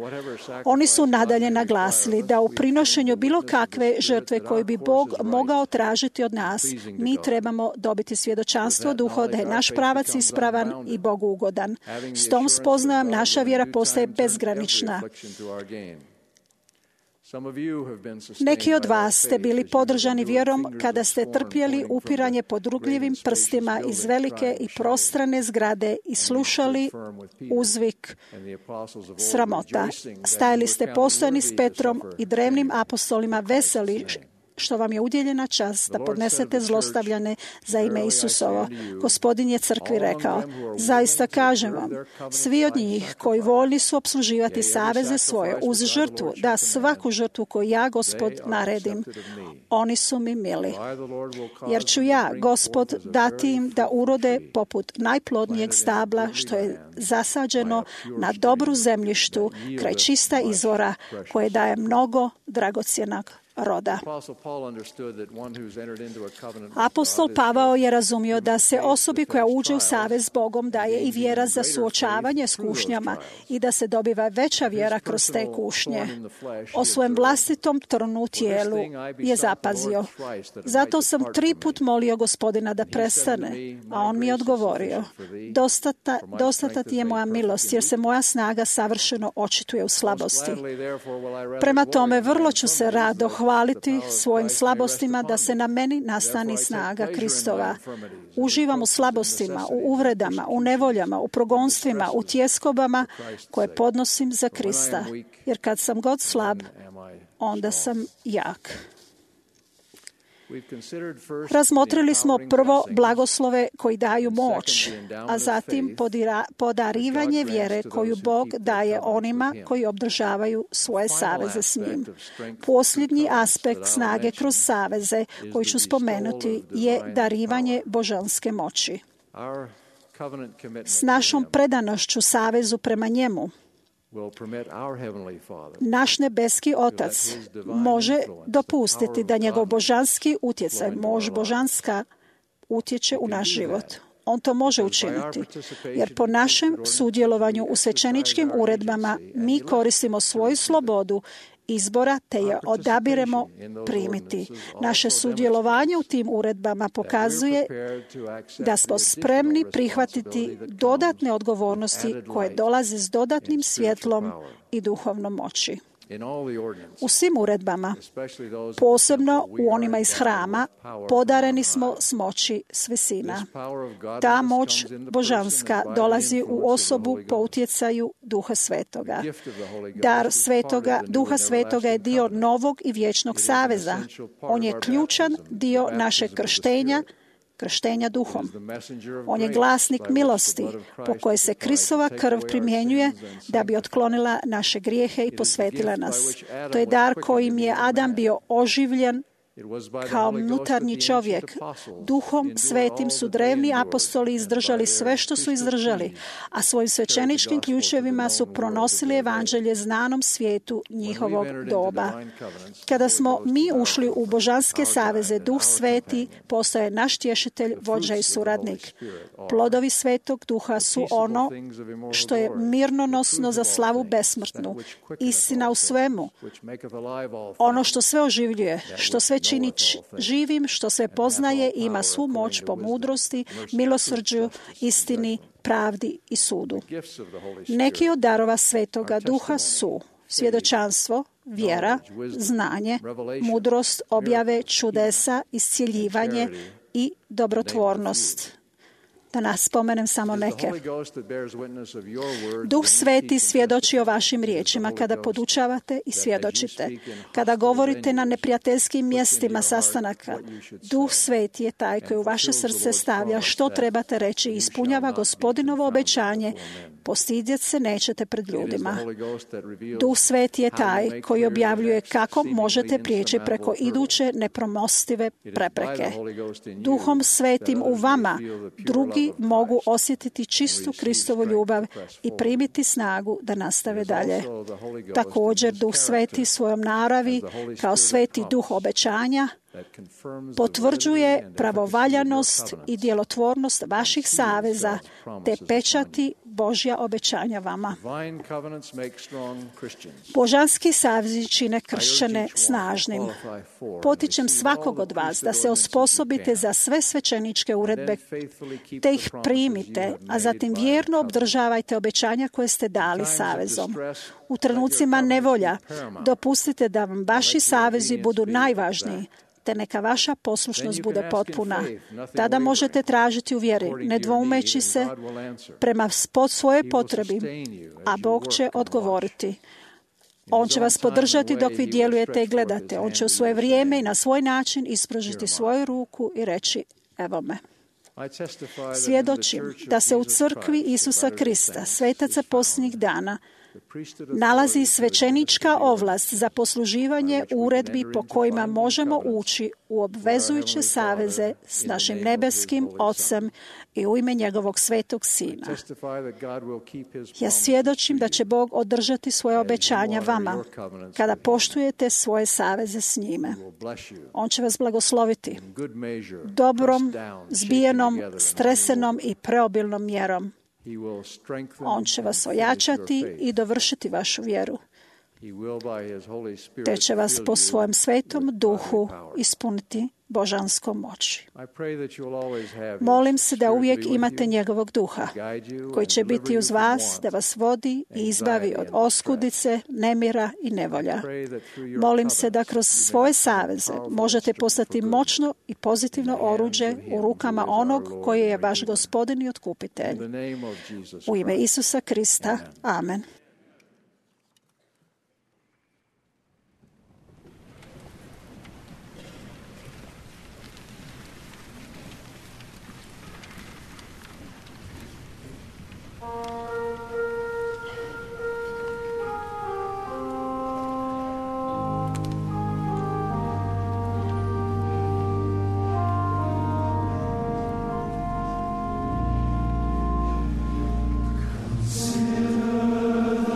Oni su nadalje naglasili da u prinošenju bilo kakve žrtve koju bi Bog mogao tražiti od nas, mi trebamo dobiti svjedočanstvo duha da je naš pravac ispravan i Bogu ugodan. S tom spoznajom naša vjera postaje bezgranična. Neki od vas ste bili podržani vjerom kada ste trpjeli upiranje podrugljivim prstima iz velike i prostrane zgrade i slušali uzvik sramota. Stajali ste postojani s Petrom i drevnim apostolima veseli što vam je udjeljena čast da podnesete zlostavljane za ime Isusovo. Gospodin je crkvi rekao, zaista kažem vam, svi od njih koji voljni su opsluživati saveze svoje uz žrtvu, da svaku žrtvu koju ja, Gospod, naredim, oni su mi mili. Jer ću ja, Gospod, dati im da urode poput najplodnijeg stabla što je zasađeno na dobru zemljištu kraj čista izvora koje daje mnogo dragocjenog roda. Apostol Pavao je razumio da se osobi koja uđe u savez s Bogom daje i vjera za suočavanje s kušnjama i da se dobiva veća vjera kroz te kušnje. O svojem vlastitom trnu u tijelu je zapazio. Zato sam 3 puta molio Gospodina da prestane, a on mi je odgovorio, dostata ti je moja milost, jer se moja snaga savršeno očituje u slabosti. Prema tome, vrlo ću se rado hvaliti svojim slabostima da se na meni nastani snaga Kristova. Uživam u slabostima, u uvredama, u nevoljama, u progonstvima, u tjeskobama koje podnosim za Krista. Jer kad sam god slab, onda sam jak. Razmotrili smo prvo blagoslove koji daju moć, a zatim podarivanje vjere koju Bog daje onima koji obdržavaju svoje saveze s njim. Posljednji aspekt snage kroz saveze koji ću spomenuti je darivanje božanske moći. S našom predanošću savezu prema njemu, naš nebeski Otac može dopustiti da njegov božanski utjecaj, moć božanska, utječe u naš život. On to može učiniti, jer po našem sudjelovanju u svećeničkim uredbama mi koristimo svoju slobodu izbora te je odabiremo primiti. Naše sudjelovanje u tim uredbama pokazuje da smo spremni prihvatiti dodatne odgovornosti koje dolaze s dodatnim svjetlom i duhovnom moći. U svim uredbama, posebno u onima iz hrama, podareni smo s moći s visina. Ta moć božanska dolazi u osobu po utjecaju Duha Svetoga. Dar Duha Svetoga je dio novog i vječnog saveza. On je ključan dio našeg krštenja duhom. On je glasnik milosti po kojoj se Kristova krv primjenjuje da bi otklonila naše grijehe i posvetila nas. To je dar kojim je Adam bio oživljen kao unutarnji čovjek. Duhom svetim su drevni apostoli izdržali sve što su izdržali, a svojim svećeničkim ključevima su pronosili evanđelje znanom svijetu njihovog doba. Kada smo mi ušli u božanske saveze, Duh Sveti postaje naš tješitelj, vođa i suradnik. Plodovi Svetog Duha su ono što je mirnonosno za slavu besmrtnu, istina u svemu, ono što sve oživljuje, što sve čini živim, što sve poznaje i ima svu moć po mudrosti, milosrđu, istini, pravdi i sudu. Neki od darova Svetoga Duha su svjedočanstvo, vjera, znanje, mudrost, objave, čudesa, iscijeljivanje i dobrotvornost. Da nas spomenem samo neke. Duh Sveti svjedoči o vašim riječima kada podučavate i svjedočite. Kada govorite na neprijateljskim mjestima sastanaka, Duh Sveti je taj koji u vaše srce stavlja što trebate reći i ispunjava Gospodinovo obećanje Postidjet se nećete pred ljudima. Duh Sveti je taj koji objavljuje kako možete prijeći preko iduće nepremostive prepreke. Duhom Svetim u vama drugi mogu osjetiti čistu Kristovu ljubav i primiti snagu da nastave dalje. Također, Duh Sveti svojom naravi, kao Sveti Duh obećanja, potvrđuje pravovaljanost i djelotvornost vaših saveza te pečati Božja obećanja vama. Božanski savezi čine kršćane snažnim. Potičem svakog od vas da se osposobite za sve svećeničke uredbe te ih primite, a zatim vjerno obdržavajte obećanja koje ste dali savezom. U trenucima nevolja dopustite da vam vaši savezi budu najvažniji, te neka vaša poslušnost bude potpuna. Tada možete tražiti u vjeri, ne dvoumeći se prema svojoj potrebi, a Bog će odgovoriti. On će vas podržati dok vi djelujete i gledate. On će u svoje vrijeme i na svoj način ispružiti svoju ruku i reći, evo me. Svjedočim da se u crkvi Isusa Krista, svetaca posljednjih dana, nalazi svećenička ovlast za posluživanje uredbi po kojima možemo ući u obvezujuće saveze s našim nebeskim Ocem i u ime njegovog svetog Sina. Ja svjedočim da će Bog održati svoje obećanja vama kada poštujete svoje saveze s njime. On će vas blagosloviti dobrom, zbijenom, stresenom i preobilnom mjerom. On će vas ojačati i dovršiti vašu vjeru, te će vas po svojem svetom duhu ispuniti božanskom moći. Molim se da uvijek imate njegovog duha, koji će biti uz vas, da vas vodi i izbavi od oskudice, nemira i nevolja. Molim se da kroz svoje saveze možete postati moćno i pozitivno oruđe u rukama onog koji je vaš gospodin i otkupitelj. U ime Isusa Krista. Amen. Consider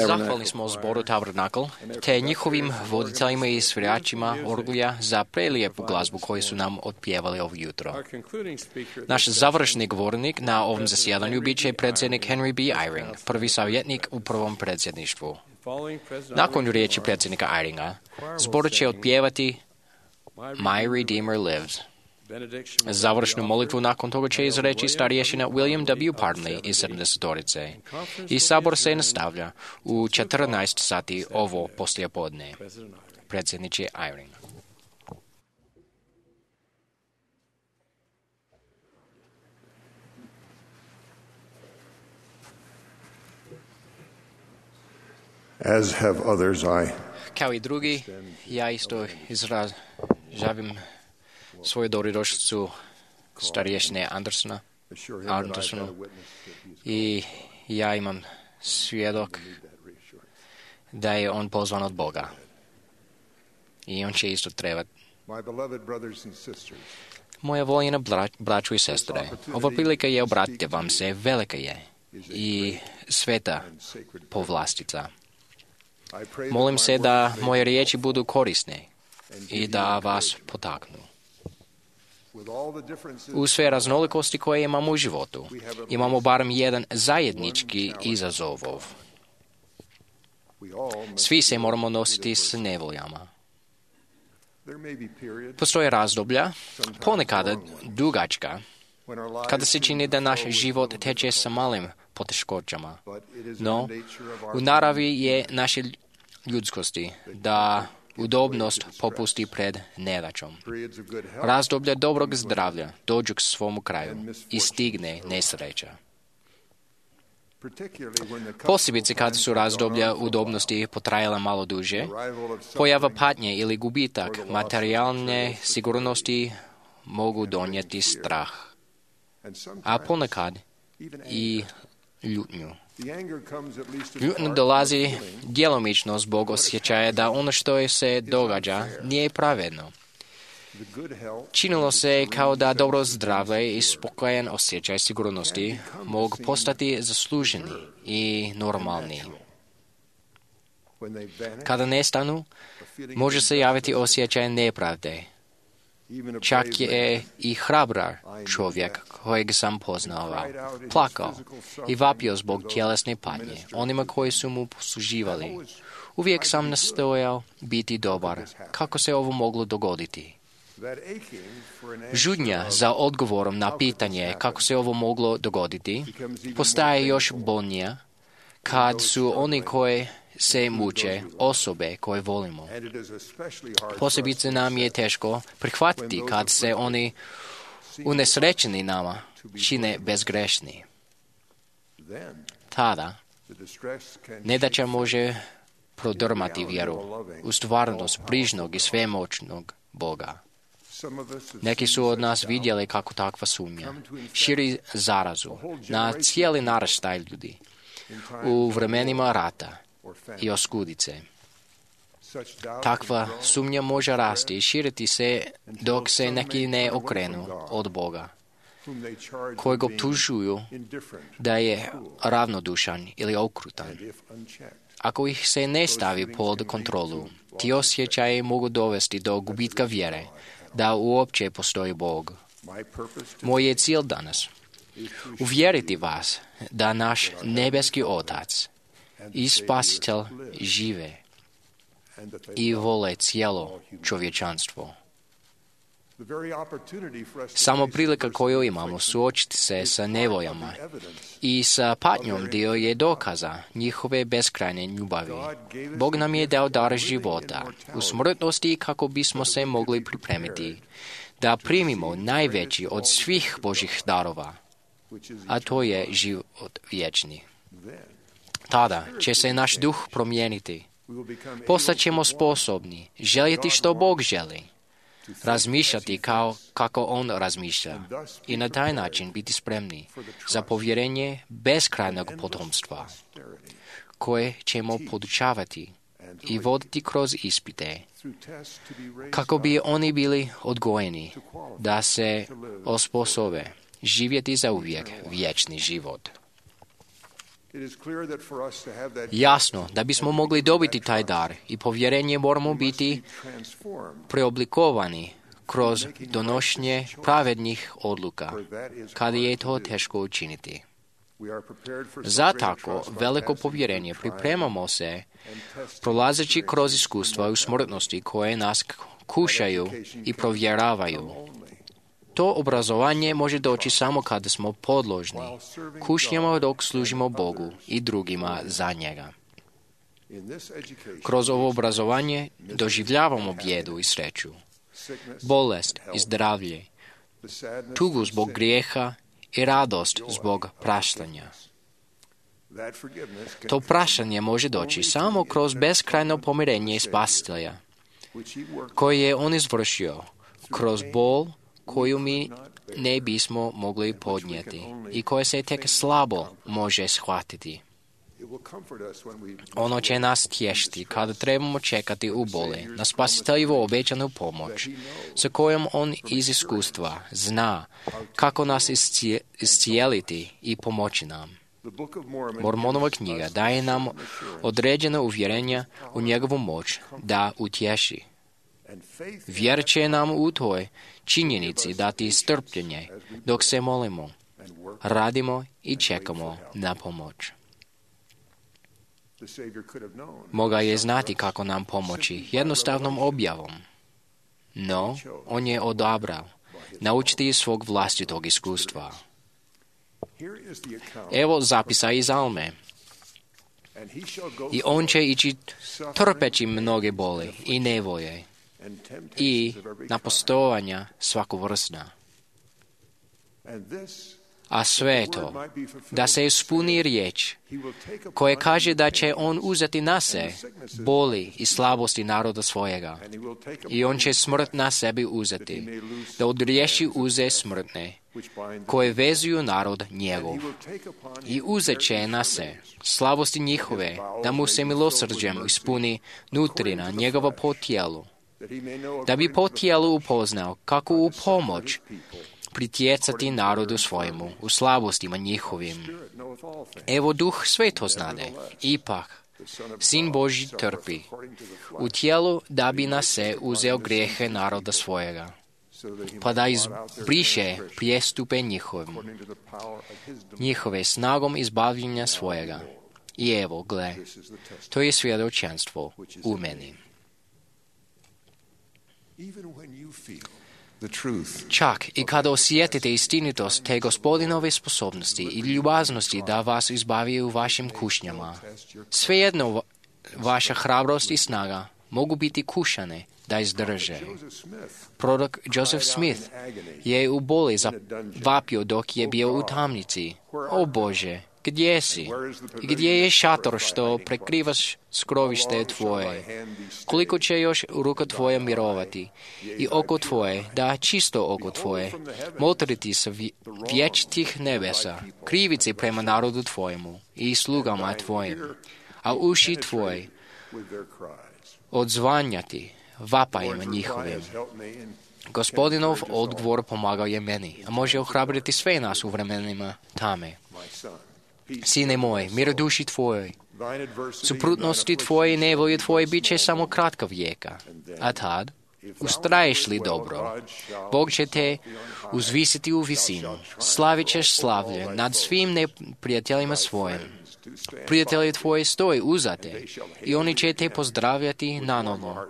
Zahvalni smo zboru Tabernakl, te njihovim voditeljima i sviračima orgulja za prelijepu glazbu koju su nam otpjevali ovo jutro. Naš završni govornik na ovom zasjedanju bit će predsjednik Henry B. Eyring, prvi savjetnik u prvom predsjedništvu. Nakon riječi predsjednika Eyringa, zbor će otpjevati My Redeemer Lives. Završnu molitvu nakon toga će izreći starješina William W. Parnley iz 70-torice. I sabor se nastavlja u 14 sati ovo poslijepodne. Predsjedniče Eyring. As have others, Kao i drugi, ja isto izražavim svoju dobrodošlicu starješine Andersonu i ja imam svjedok da je on pozvan od Boga i on će isto trebati. Moja voljena braću i sestre, ova prilika je obratiti vam se, velika je i sveta povlastica. Molim se da moje riječi budu korisne i da vas potaknu. U sve raznolikosti koje imamo u životu, imamo barem jedan zajednički izazov. Svi se moramo nositi s nevoljama. Postoje razdoblja, ponekad dugačka, kada se čini da naš život teče sa malim poteškoćama. No, u naravi je naše ljudskosti da udobnost popusti pred nedaćom. Razdoblja dobrog zdravlja dođu k svom kraju i stigne nesreća. Posebice kad su razdoblja udobnosti potrajala malo duže, pojava patnje ili gubitak materijalne sigurnosti mogu donijeti strah, a ponekad i ljutnju. Ljutnja dolazi djelomično zbog osjećaja da ono što se događa nije pravedno. Činilo se kao da dobro zdravlje i spokojan osjećaj sigurnosti mogu postati zasluženi i normalni. Kada nestanu, može se javiti osjećaj nepravde. Čak je i hrabrar čovjek kojeg sam poznao plakao i vapio zbog tjelesne patnje onima koji su mu posluživali. Uvijek sam nastojao biti dobar. Kako se ovo moglo dogoditi? Žudnja za odgovorom na pitanje kako se ovo moglo dogoditi postaje još bolnija kad su oni koji se muče osobe koje volimo. Posebice nam je teško prihvatiti kad se oni unesrećeni nama čine bezgrešni. Tada nedaća može prodrmati vjeru u stvarnost brižnog i svemoćnog Boga. Neki su od nas vidjeli kako takva sumnja širi zarazu na cijeli naraštaj ljudi u vremenima rata i oskudice. Takva sumnja može rasti i širiti se dok se neki ne okrenu od Boga, kojeg optužuju da je ravnodušan ili okrutan. Ako ih se ne stavi pod kontrolu, ti osjećaji mogu dovesti do gubitka vjere da uopće postoji Bog. Moj je cilj danas uvjeriti vas da naš nebeski Otac i Spasitelj žive i vole cijelo čovječanstvo. Samo prilika koju imamo suočiti se sa nevoljama i sa patnjom dio je dokaza njihove beskrajne ljubavi. Bog nam je dao dar života u smrtnosti kako bismo se mogli pripremiti da primimo najveći od svih Božih darova, a to je život vječni. Tada će se naš duh promijeniti. Postat ćemo sposobni željeti što Bog želi, razmišljati kako On razmišlja i na taj način biti spremni za povjerenje beskrajnog potomstva, koje ćemo podučavati i voditi kroz ispite, kako bi oni bili odgojeni da se osposobe živjeti za uvijek vječni život. Jasno, da bismo mogli dobiti taj dar i povjerenje moramo biti preoblikovani kroz donošenje pravednih odluka, kada je to teško učiniti. Za tako veliko povjerenje pripremamo se prolazeći kroz iskustva u smrtnosti koje nas kušaju i provjeravaju. To obrazovanje može doći samo kada smo podložni kušnjama dok služimo Bogu i drugima za njega. Kroz ovo obrazovanje doživljavamo bijedu i sreću, bolest i zdravlje, tugu zbog grijeha i radost zbog praštanja. To praštanje može doći samo kroz beskrajno pomirenje Spasitelja, koje je on izvršio, kroz bol koju mi ne bismo mogli podnijeti i koje se tek slabo može shvatiti. Ono će nas tješiti kada trebamo čekati u boli na Spasiteljevu obećanu pomoć, sa kojom on iz iskustva zna kako nas iscijeliti i pomoći nam. Mormonova knjiga daje nam određena uvjerenja u njegovu moć da utješi. Vjera će nam u toj činjenici dati strpljenje dok se molimo, radimo i čekamo na pomoć. Moga je znati kako nam pomoći jednostavnom objavom, no on je odabrao naučiti iz svog vlastitog iskustva. Evo zapisa iz Alme. I on će ići trpeći mnoge boli i nevolje i napostovanja svakovrsna. A sve to, da se ispuni riječ koja kaže da će on uzeti na se boli i slabosti naroda svojega. I on će smrt na sebi uzeti, da odriješi uze smrtne, koje vezuju narod njegov. I uzet će na se slabosti njihove, da mu se milosrđem ispuni nutrina njegova po tijelu, da bi po tijelu upoznao kako u pomoć pritjecati narodu svojemu u slabostima njihovim. Evo duh sve to znade, ipak Sin Božji trpi u tijelu da bi na se uzeo grijehe naroda svojega, pa da izbriše prijestupe njihove snagom izbavljenja svojega. I evo, gle, to je svjedočanstvo u meni. Čak i kada osjetite istinitost te Gospodinove sposobnosti i ljubaznosti da vas izbavi u vašim kušnjama, svejedno vaša hrabrost i snaga mogu biti kušane da izdrže. Prorok Joseph Smith je u boli zavapio dok je bio u tamnici. O Bože, gdje si? Gdje je šator što prekrivaš skrovište tvoje? Koliko će još ruka tvoja mirovati i oko tvoje, da čisto oko tvoje, motriti sa vječitih nebesa, krivice prema narodu tvojemu i slugama tvojim, a uši tvoje odzvanjati vapajima njihovim. Gospodinov odgovor pomagao je meni, a može ohrabriti sve nas u vremenima tame. Sine moj, mir duši tvojoj, suprotnosti tvoje i nevolje tvoje bit će samo kratka vijeka, a tad, ustraješ li dobro, Bog će te uzvisiti u visinu, slavit ćeš slavlje nad svim neprijateljima svojim. Prijatelji tvoji stoji uzate i oni će te pozdravljati nanovo,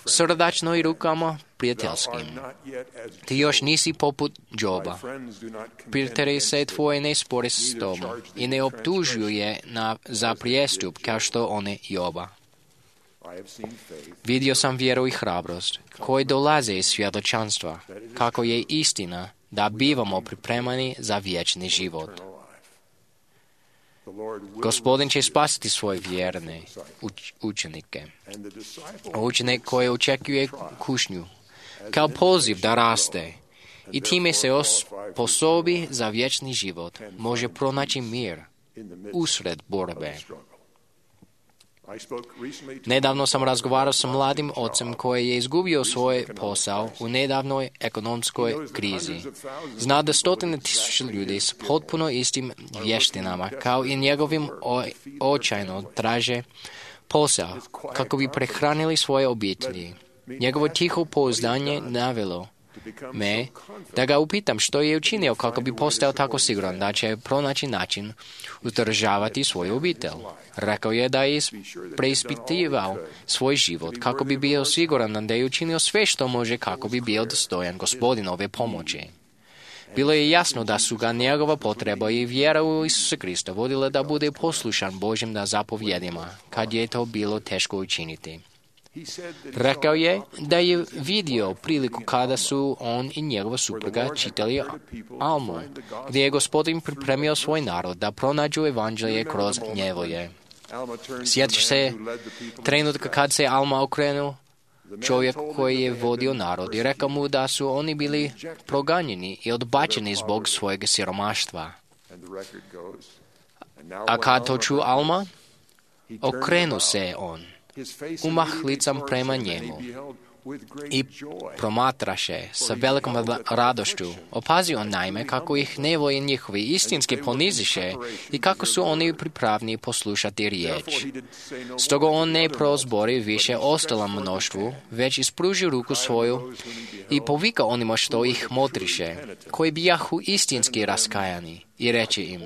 srdačno i rukama prijateljskim. Ti još nisi poput Joba. Prijatelji se tvoje ne spore s tobom i ne optužuju je za prijestup kao što one Joba. Vidio sam vjeru i hrabrost koji dolaze iz svjedočanstva, kako je istina da bivamo pripremani za vječni život. Gospodin će spasiti svoje vjerne učenike. Učenik koji očekuje kušnju, kao poziv da raste i time se osposobi za vječni život, može pronaći mir usred borbe. Nedavno sam razgovarao sa mladim ocem koji je izgubio svoj posao u nedavnoj ekonomskoj krizi. Zna da stotine tisuća ljudi s potpuno istim vještinama kao i njegovim očajno traže posao kako bi prehranili svoje obitelji. Njegovo tiho pouzdanje navelo me da ga upitam što je učinio kako bi postao tako siguran da će pronaći način uzdržavati svoju obitelj. Rekao je da je preispitivao svoj život kako bi bio siguran da je učinio sve što može kako bi bio dostojan Gospodinove pomoći. Bilo je jasno da su ga njegova potreba i vjera u Isusa Krista vodile da bude poslušan Božjim zapovjedima, kad je to bilo teško učiniti. Rekao je da je vidio priliku kada su on i njegova supruga čitali Almu, gdje je Gospodin pripremio svoj narod da pronađu evanđelje kroz njevoje. Sjetiš se trenutka kad se Alma okrenuo čovjek koji je vodio narod i rekao mu da su oni bili proganjeni i odbačeni zbog svojeg siromaštva. A kad to ču Alma, okrenu se on, umah licam prema njemu i promatraše sa velikom radošću. Opazio on naime kako ih nevoje njihovi istinski poniziše i kako su oni pripravni poslušati riječ. Stoga on ne prozbori više ostalom mnoštvu, već ispruži ruku svoju i povika onima što ih motriše, koji bijahu istinski raskajani, i reče im: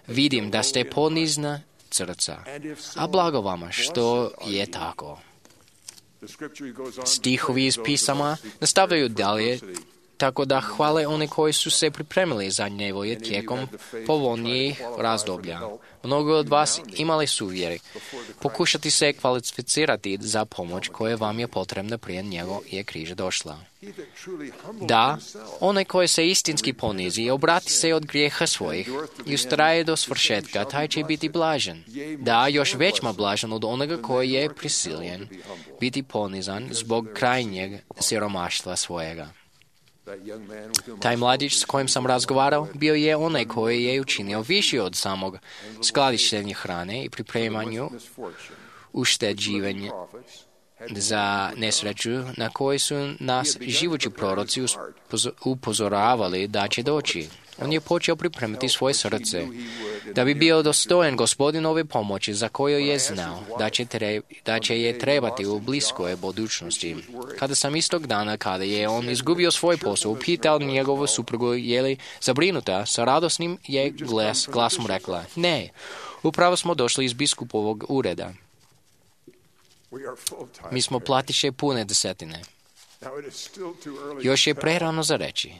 vidim da ste ponizna srca, a blago vama što je tako. Stihovi iz pisama nastavljaju dalje, tako da hvale one koji su se pripremili za njevoje tijekom povoljnijih razdoblja. Mnogo od vas imali su vjeri. Pokušati se kvalificirati za pomoć koja vam je potrebna prije njego je križa došla. Da, onaj koji se istinski ponizi i obrati se od grijeha svojih i ustraje do svršetka, taj će biti blažen. Da, još većma blažen od onoga koji je prisiljen biti ponizan zbog krajnjeg siromaštva svojega. Taj mladić s kojim sam razgovarao bio je onaj koji je učinio više od samog skladištenja hrane i pripremanju ušteđivanja za nesreću na koji su nas živući proroci upozoravali da će doći. On je počeo pripremiti svoje srce da bi bio dostojan Gospodinove pomoći za koju je znao da će je trebati u bliskoj budućnosti. Kada sam istog dana, kada je on izgubio svoj posao, upitao njegovu suprugu je li zabrinuta, sa radosnim je glasom rekla: ne, upravo smo došli iz biskupovog ureda. Mi smo platiše pune desetine. Još je prerano za reći,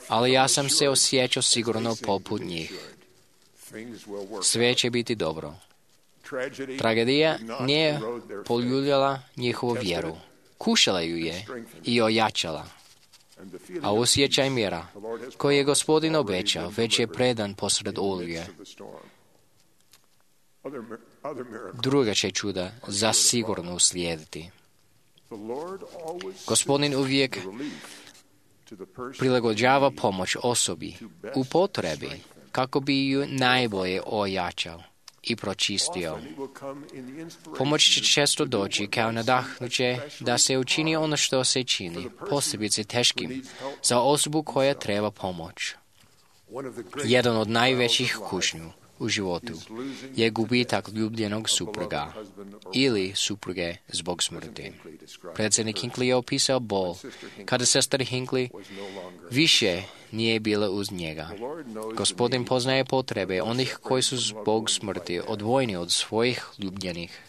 ali ja sam se osjećao sigurno poput njih. Sve će biti dobro. Tragedija nije poljuljala njihovu vjeru. Kušala ju je i ojačala. A osjećaj mira koji je Gospodin obećao već je predan posred oluje. Druga će čuda zasigurno uslijediti. Gospodin uvijek prilagođava pomoć osobi u potrebi kako bi ju najbolje ojačao i pročistio. Pomoć će često doći kao nadahnuće da se učini ono što se čini, posebice teškim, za osobu koja treba pomoć. Jedan od najvećih kušnju u životu je gubitak ljubljenog supruga ili supruge zbog smrti. Predsjednik Hinckley je opisao bol kada sestra Hinckley više nije bila uz njega. Gospodin poznaje potrebe onih koji su zbog smrti odvojeni od svojih ljubljenih.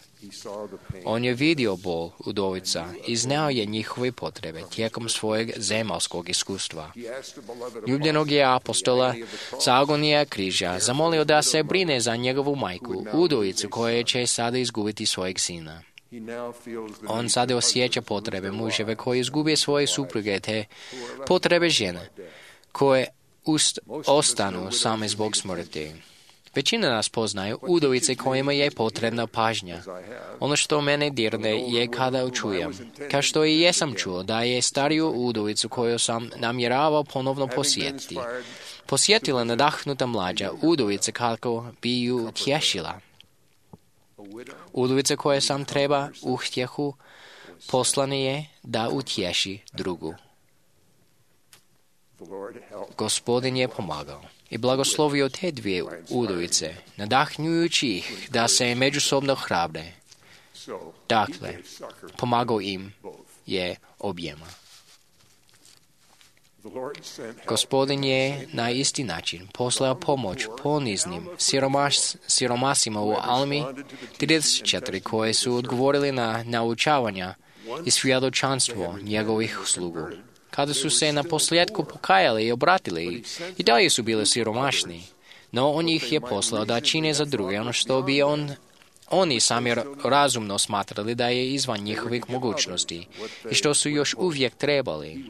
On je vidio bol udovica i znao je njihove potrebe tijekom svojeg zemaljskog iskustva. Ljubljenog je apostola sa agonija križa zamolio da se brine za njegovu majku, udovicu koja će sada izgubiti svojeg sina. On sada osjeća potrebe muževe koji izgube svoje supruge te potrebe žene koje ostanu same zbog smrti. Većina nas poznaju udovice kojima je potrebna pažnja. Ono što mene dirne je kada čujem, kao što i jesam čuo, da je stariju udovicu koju sam namjeravao ponovno posjetiti. Posjetila nadahnuta mlađa udovica kako bi ju tješila. Udovica koja sam treba utjehu, poslane je da utješi drugu. Gospodin je pomagao i blagoslovio te dvije udovice, nadahnjujući ih da se međusobno hrabre. Dakle, pomagao im je objema. Gospodin je na isti način poslao pomoć poniznim siromasima u Almi 34 koje su odgovorili na naučavanja i svjedočanstvo njegovih slugu. Kada su se na posljedku pokajali i obratili, i dalje su bili siromašni, no on ih je poslao da čine za druge ono što bi oni sami razumno smatrali da je izvan njihovih mogućnosti i što su još uvijek trebali.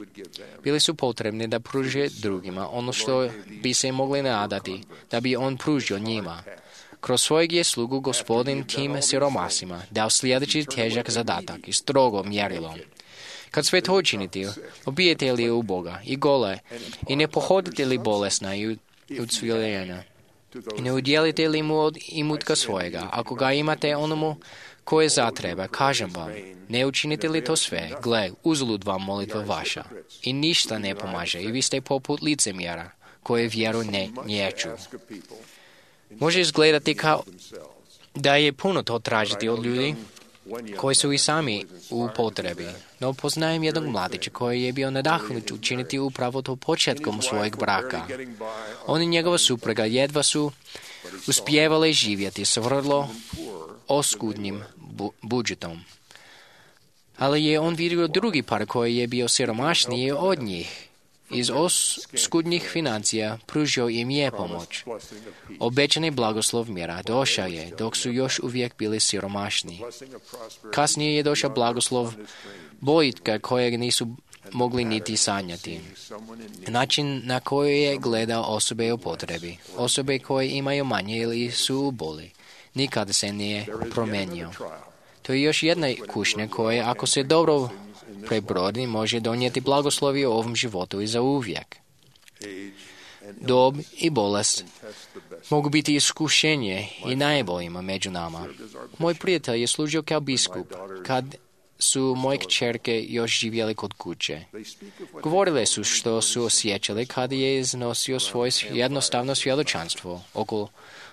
Bili su potrebni da pruže drugima ono što bi se mogli nadati, da bi on pružio njima. Kroz svojeg je slugu Gospodin tim siromasima dao sljedeći težak zadatak i strogo mjerilo. Kad sve to učinite, obijete li u Boga i gole i ne pohodite li bolesna i ucviljena, i ne udjelite li mu od imutka svojega, ako ga imate onomu koje zatreba, kažem vam, ne učinite li to sve, gle, uzalud vam molitva vaša, i ništa ne pomaže, i vi ste poput licemjera, koje vjeru ne nječu. Može izgledati kao da je puno to tražiti od ljudi koji su i sami u potrebi, no poznajem jednog mladića koji je bio nadahnut učiniti upravo to početkom svojeg braka. On i njegova supruga jedva su uspjevali živjeti s vrlo oskudnim budžetom. Ali je on vidio drugi par koji je bio siromašniji od njih. Iz oskudnih financija pružio im je pomoć. Obećani blagoslov mira došao je dok su još uvijek bili siromašni. Kasnije je došao blagoslov boljitka kojeg nisu mogli niti sanjati. Način na koji je gledao osobe u potrebi, osobe koje imaju manje ili su u boli, nikada se nije promijenio. To je još jedna kušnja koja, ako se dobro prebrodi, može donijeti blagoslovi u ovom životu i za uvijek. Dob i bolest mogu biti iskušenje i najboljima među nama. Moj prijatelj je služio kao biskup kad su moje kćerke još živjeli kod kuće. Govorile su što su osjećali kad je iznosio svoje jednostavno svjedočanstvo oko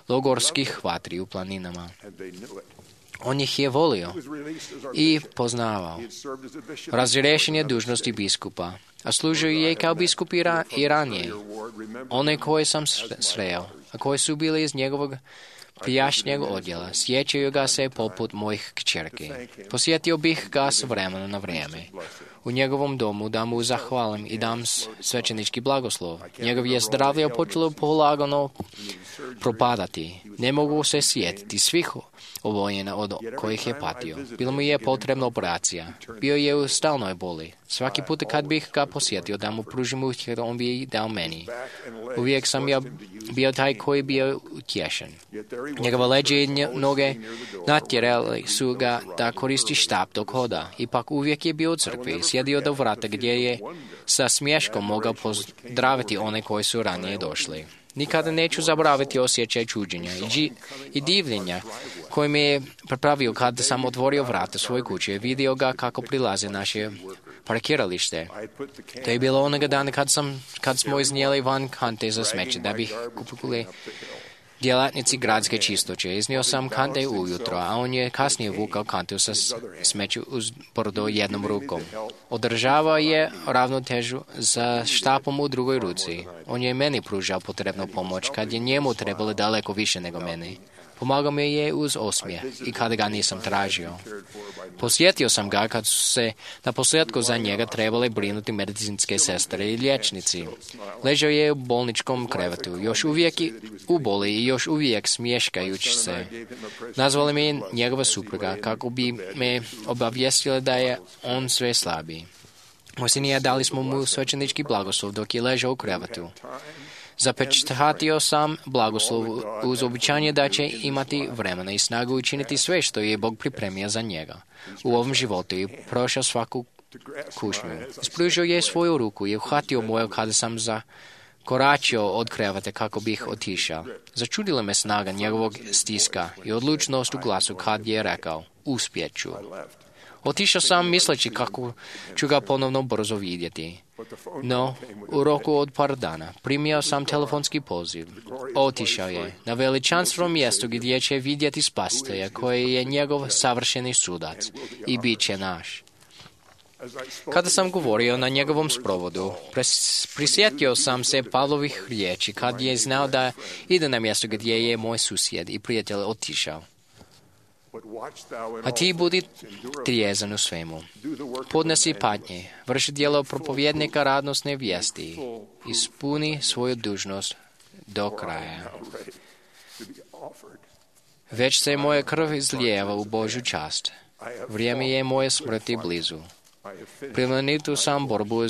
logorskih vatri u planinama. On ih je volio i poznavao. Razriješen je dužnosti biskupa, a služio je kao biskup i ranije. One koje sam sreo, a koje su bili iz njegovog prijašnjeg odjela, sjećaju ga se poput mojih kćerki. Posjetio bih ga s vremena na vrijeme u njegovom domu da mu zahvalim i dam svećenički blagoslov. Njegov je zdravlje počelo polagano propadati. Ne mogu se sjetiti svih oboljena od kojih je patio. Bilo mu je potrebna operacija. Bio je u stalnoj boli. Svaki put kad bih ga posjetio da mu pružim utjehu, on bi dao meni. Uvijek sam ja bio taj koji bio utješen. Njegova leđa i noge natjerali su ga da koristi štap dok hoda. Ipak uvijek je bio u crkvi. Sjedio do vrata gdje je sa smješkom mogao pozdraviti one koji su ranije došli. Nikada neću zaboraviti osjećaj čuđenja i divljenja koji me je prepravio kad sam otvorio vrata svoje kuće i vidio ga kako prilaze naše parkiralište. To je bilo onoga dana kad smo iznijeli van kante za smeće da bih kupili djelatnici gradske čistoće. Iznio sam kante ujutro, a on je kasnije vukao kantu sa smeću uz brdo jednom rukom. Održavao je ravnotežu za štapom u drugoj ruci. On je meni pružao potrebnu pomoć kad je njemu trebalo daleko više nego meni. Pomagao mi je uz osmijeh i kada ga nisam tražio. Posjetio sam ga kad su se na posljedku za njega trebale brinuti medicinske sestre i liječnici. Ležao je u bolničkom krevetu, još uvijek u boli i još uvijek smješkajući se. Nazvali me njegova supruga kako bi me obavijestila da je on sve slabiji. Posljednije dali smo mu svećenički blagoslov dok je ležao u krevetu. Zapečatio sam blagoslov uz obećanje da će imati vremena i snagu učiniti sve što je Bog pripremio za njega u ovom životu i prošao svaku kušnju. Ispružio je svoju ruku i uhvatio moju kada sam koračio od kreveta kako bih otišao. Začudila me snaga njegovog stiska i odlučnost u glasu kad je rekao, uspjet ću. Otišao sam misleći kako ću ga ponovno brzo vidjeti. No, u roku od par dana primio sam telefonski poziv. Otišao je na veličanstveno mjesto gdje će vidjeti Spasitelja koji je njegov savršeni sudac i bit će naš. Kada sam govorio na njegovom sprovodu, prisjetio sam se Pavlovih riječi kad je znao da ide na mjesto gdje je moj susjed i prijatelj otišao. A ti budi trijezan u svemu. Podnesi patnje, vrši djelo propovjednika radosne vijesti, ispuni svoju dužnost do kraja. Već se moja krv izlijeva u Božju čast. Vrijeme je moje smrti blizu. Plemenitu sam borbu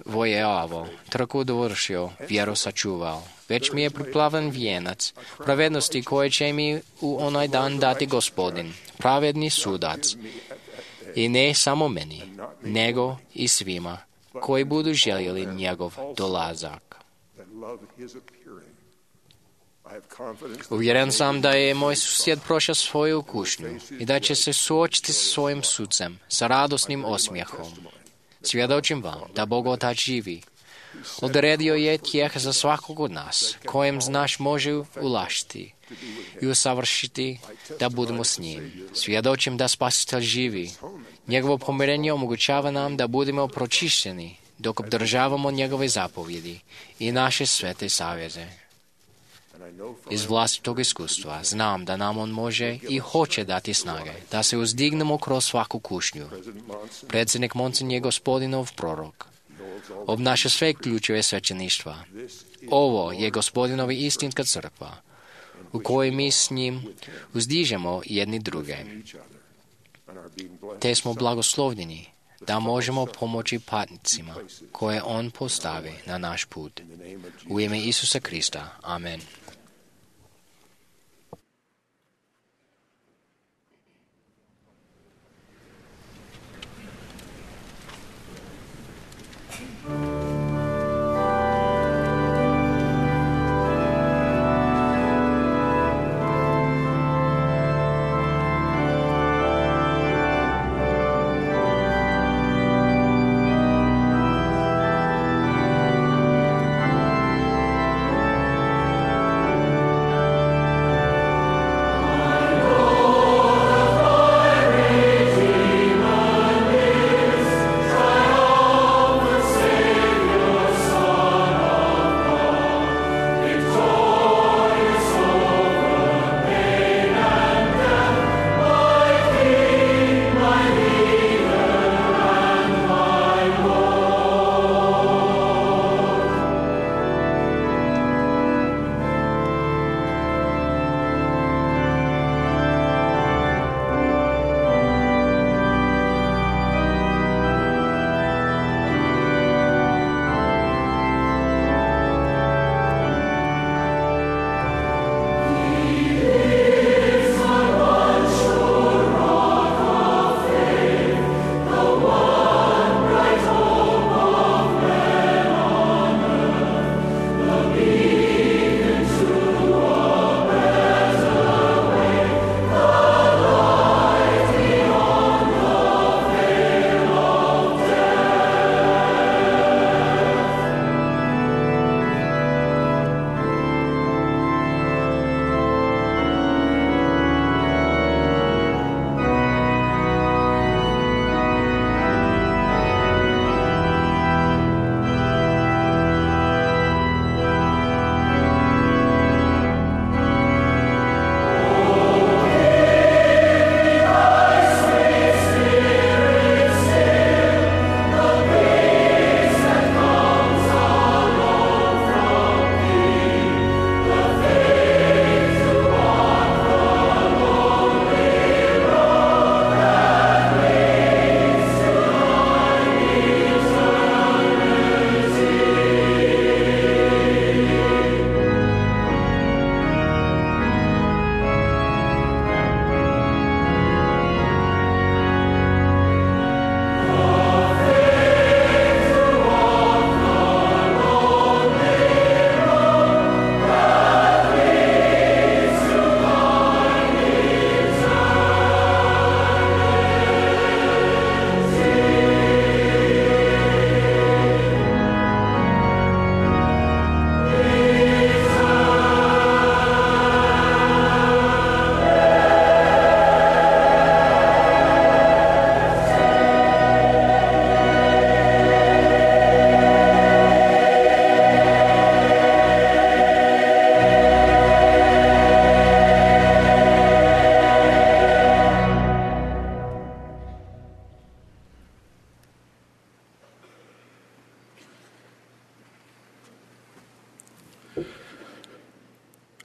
vojevao, trku dovršio, vjeru sačuvao. Već mi je priplavan vijenac pravednosti koje će mi u onaj dan dati Gospodin, pravedni sudac. I ne samo meni, nego i svima koji budu željeli njegov dolazak. Uvjeren sam da je moj susjed prošao svoju kušnju i da će se suočiti sa svojim sucem, sa radosnim osmijehom. Svjedočim vam da Bog Otac živi. Odredio je tijeh za svakog od nas, kojem znaš može ulašiti i usavršiti da budemo s njim. Svjedočim da Spasitelj živi. Njegovo pomirenje omogućava nam da budemo pročišćeni dok obdržavamo njegove zapovjedi i naše svete savjeze. Iz vlastitog iskustva znam da nam on može i hoće dati snage, da se uzdignemo kroz svaku kušnju. Predsjednik Monsen je Gospodinov prorok. Obnaša sve ključeve svećeništva. Ovo je Gospodinova istinska crkva, u kojoj mi s njim uzdižemo jedni druge. Te smo blagoslovljeni da možemo pomoći patnicima koje on postavi na naš put. U ime Isusa Krista. Amen.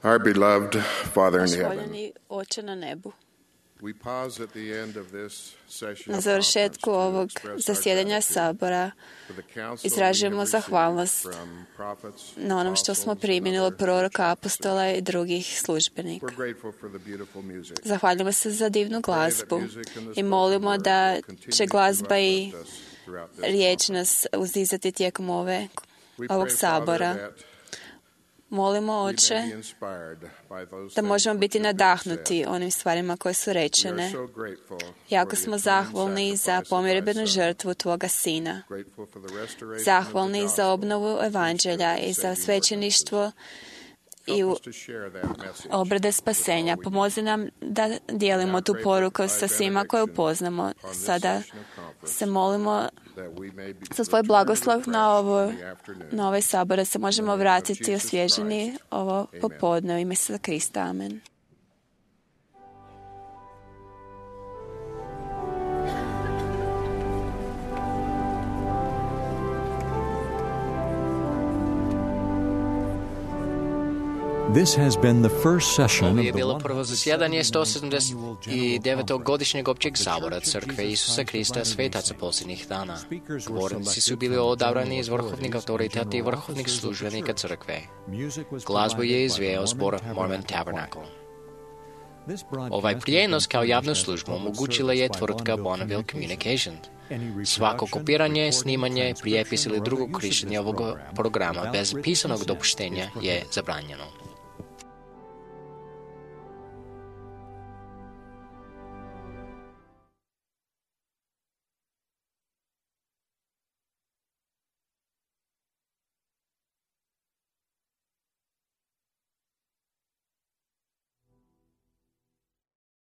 Our beloved Father in Naš heaven, voljeni Oče na nebu. we pause at the end of this session Na of završetku conference to ovog express our zasjedanja gratitude Sabora for the counsel izražujemo we have zahvalnost received from prophets, na onom što smo apostles, primili and od other proroka, church apostola i drugih službenika. We're grateful for the beautiful music. Zahvaljujemo se za divnu glazbu i molimo da će glazba i riječ nas uzdizati tijekom ovog sabora. Molimo, Oče, da možemo biti nadahnuti onim stvarima koje su rečene. Jako smo zahvalni za pomirbenu žrtvu Tvoga Sina. Zahvalni za obnovu evanđelja i za svećeništvo i obrade spasenja. Pomozi nam da dijelimo tu poruku sa svima koje upoznamo. Sada se molimo za Tvoj blagoslov na ovaj sabor, da se možemo vratiti osvježeni ovo popodne u ime Isusa Krista. Amen. This has been the first session Ovo of je the bilo prvo zasjedanje 179. godišnjeg općeg sabora Crkve Isusa Krista svetaca posljednjih dana. Govornici su bili odabrani iz vrhovnih autoriteta i vrhovnih službenika Crkve. Glazbu je izveo zbor Mormon Tabernacle. Ovaj prijenos kao javnu službu omogućila je tvrtka Bonneville Communication. Svako kopiranje, snimanje, prijepis ili drugo korištenje ovog programa bez pisanog dopuštenja je zabranjeno.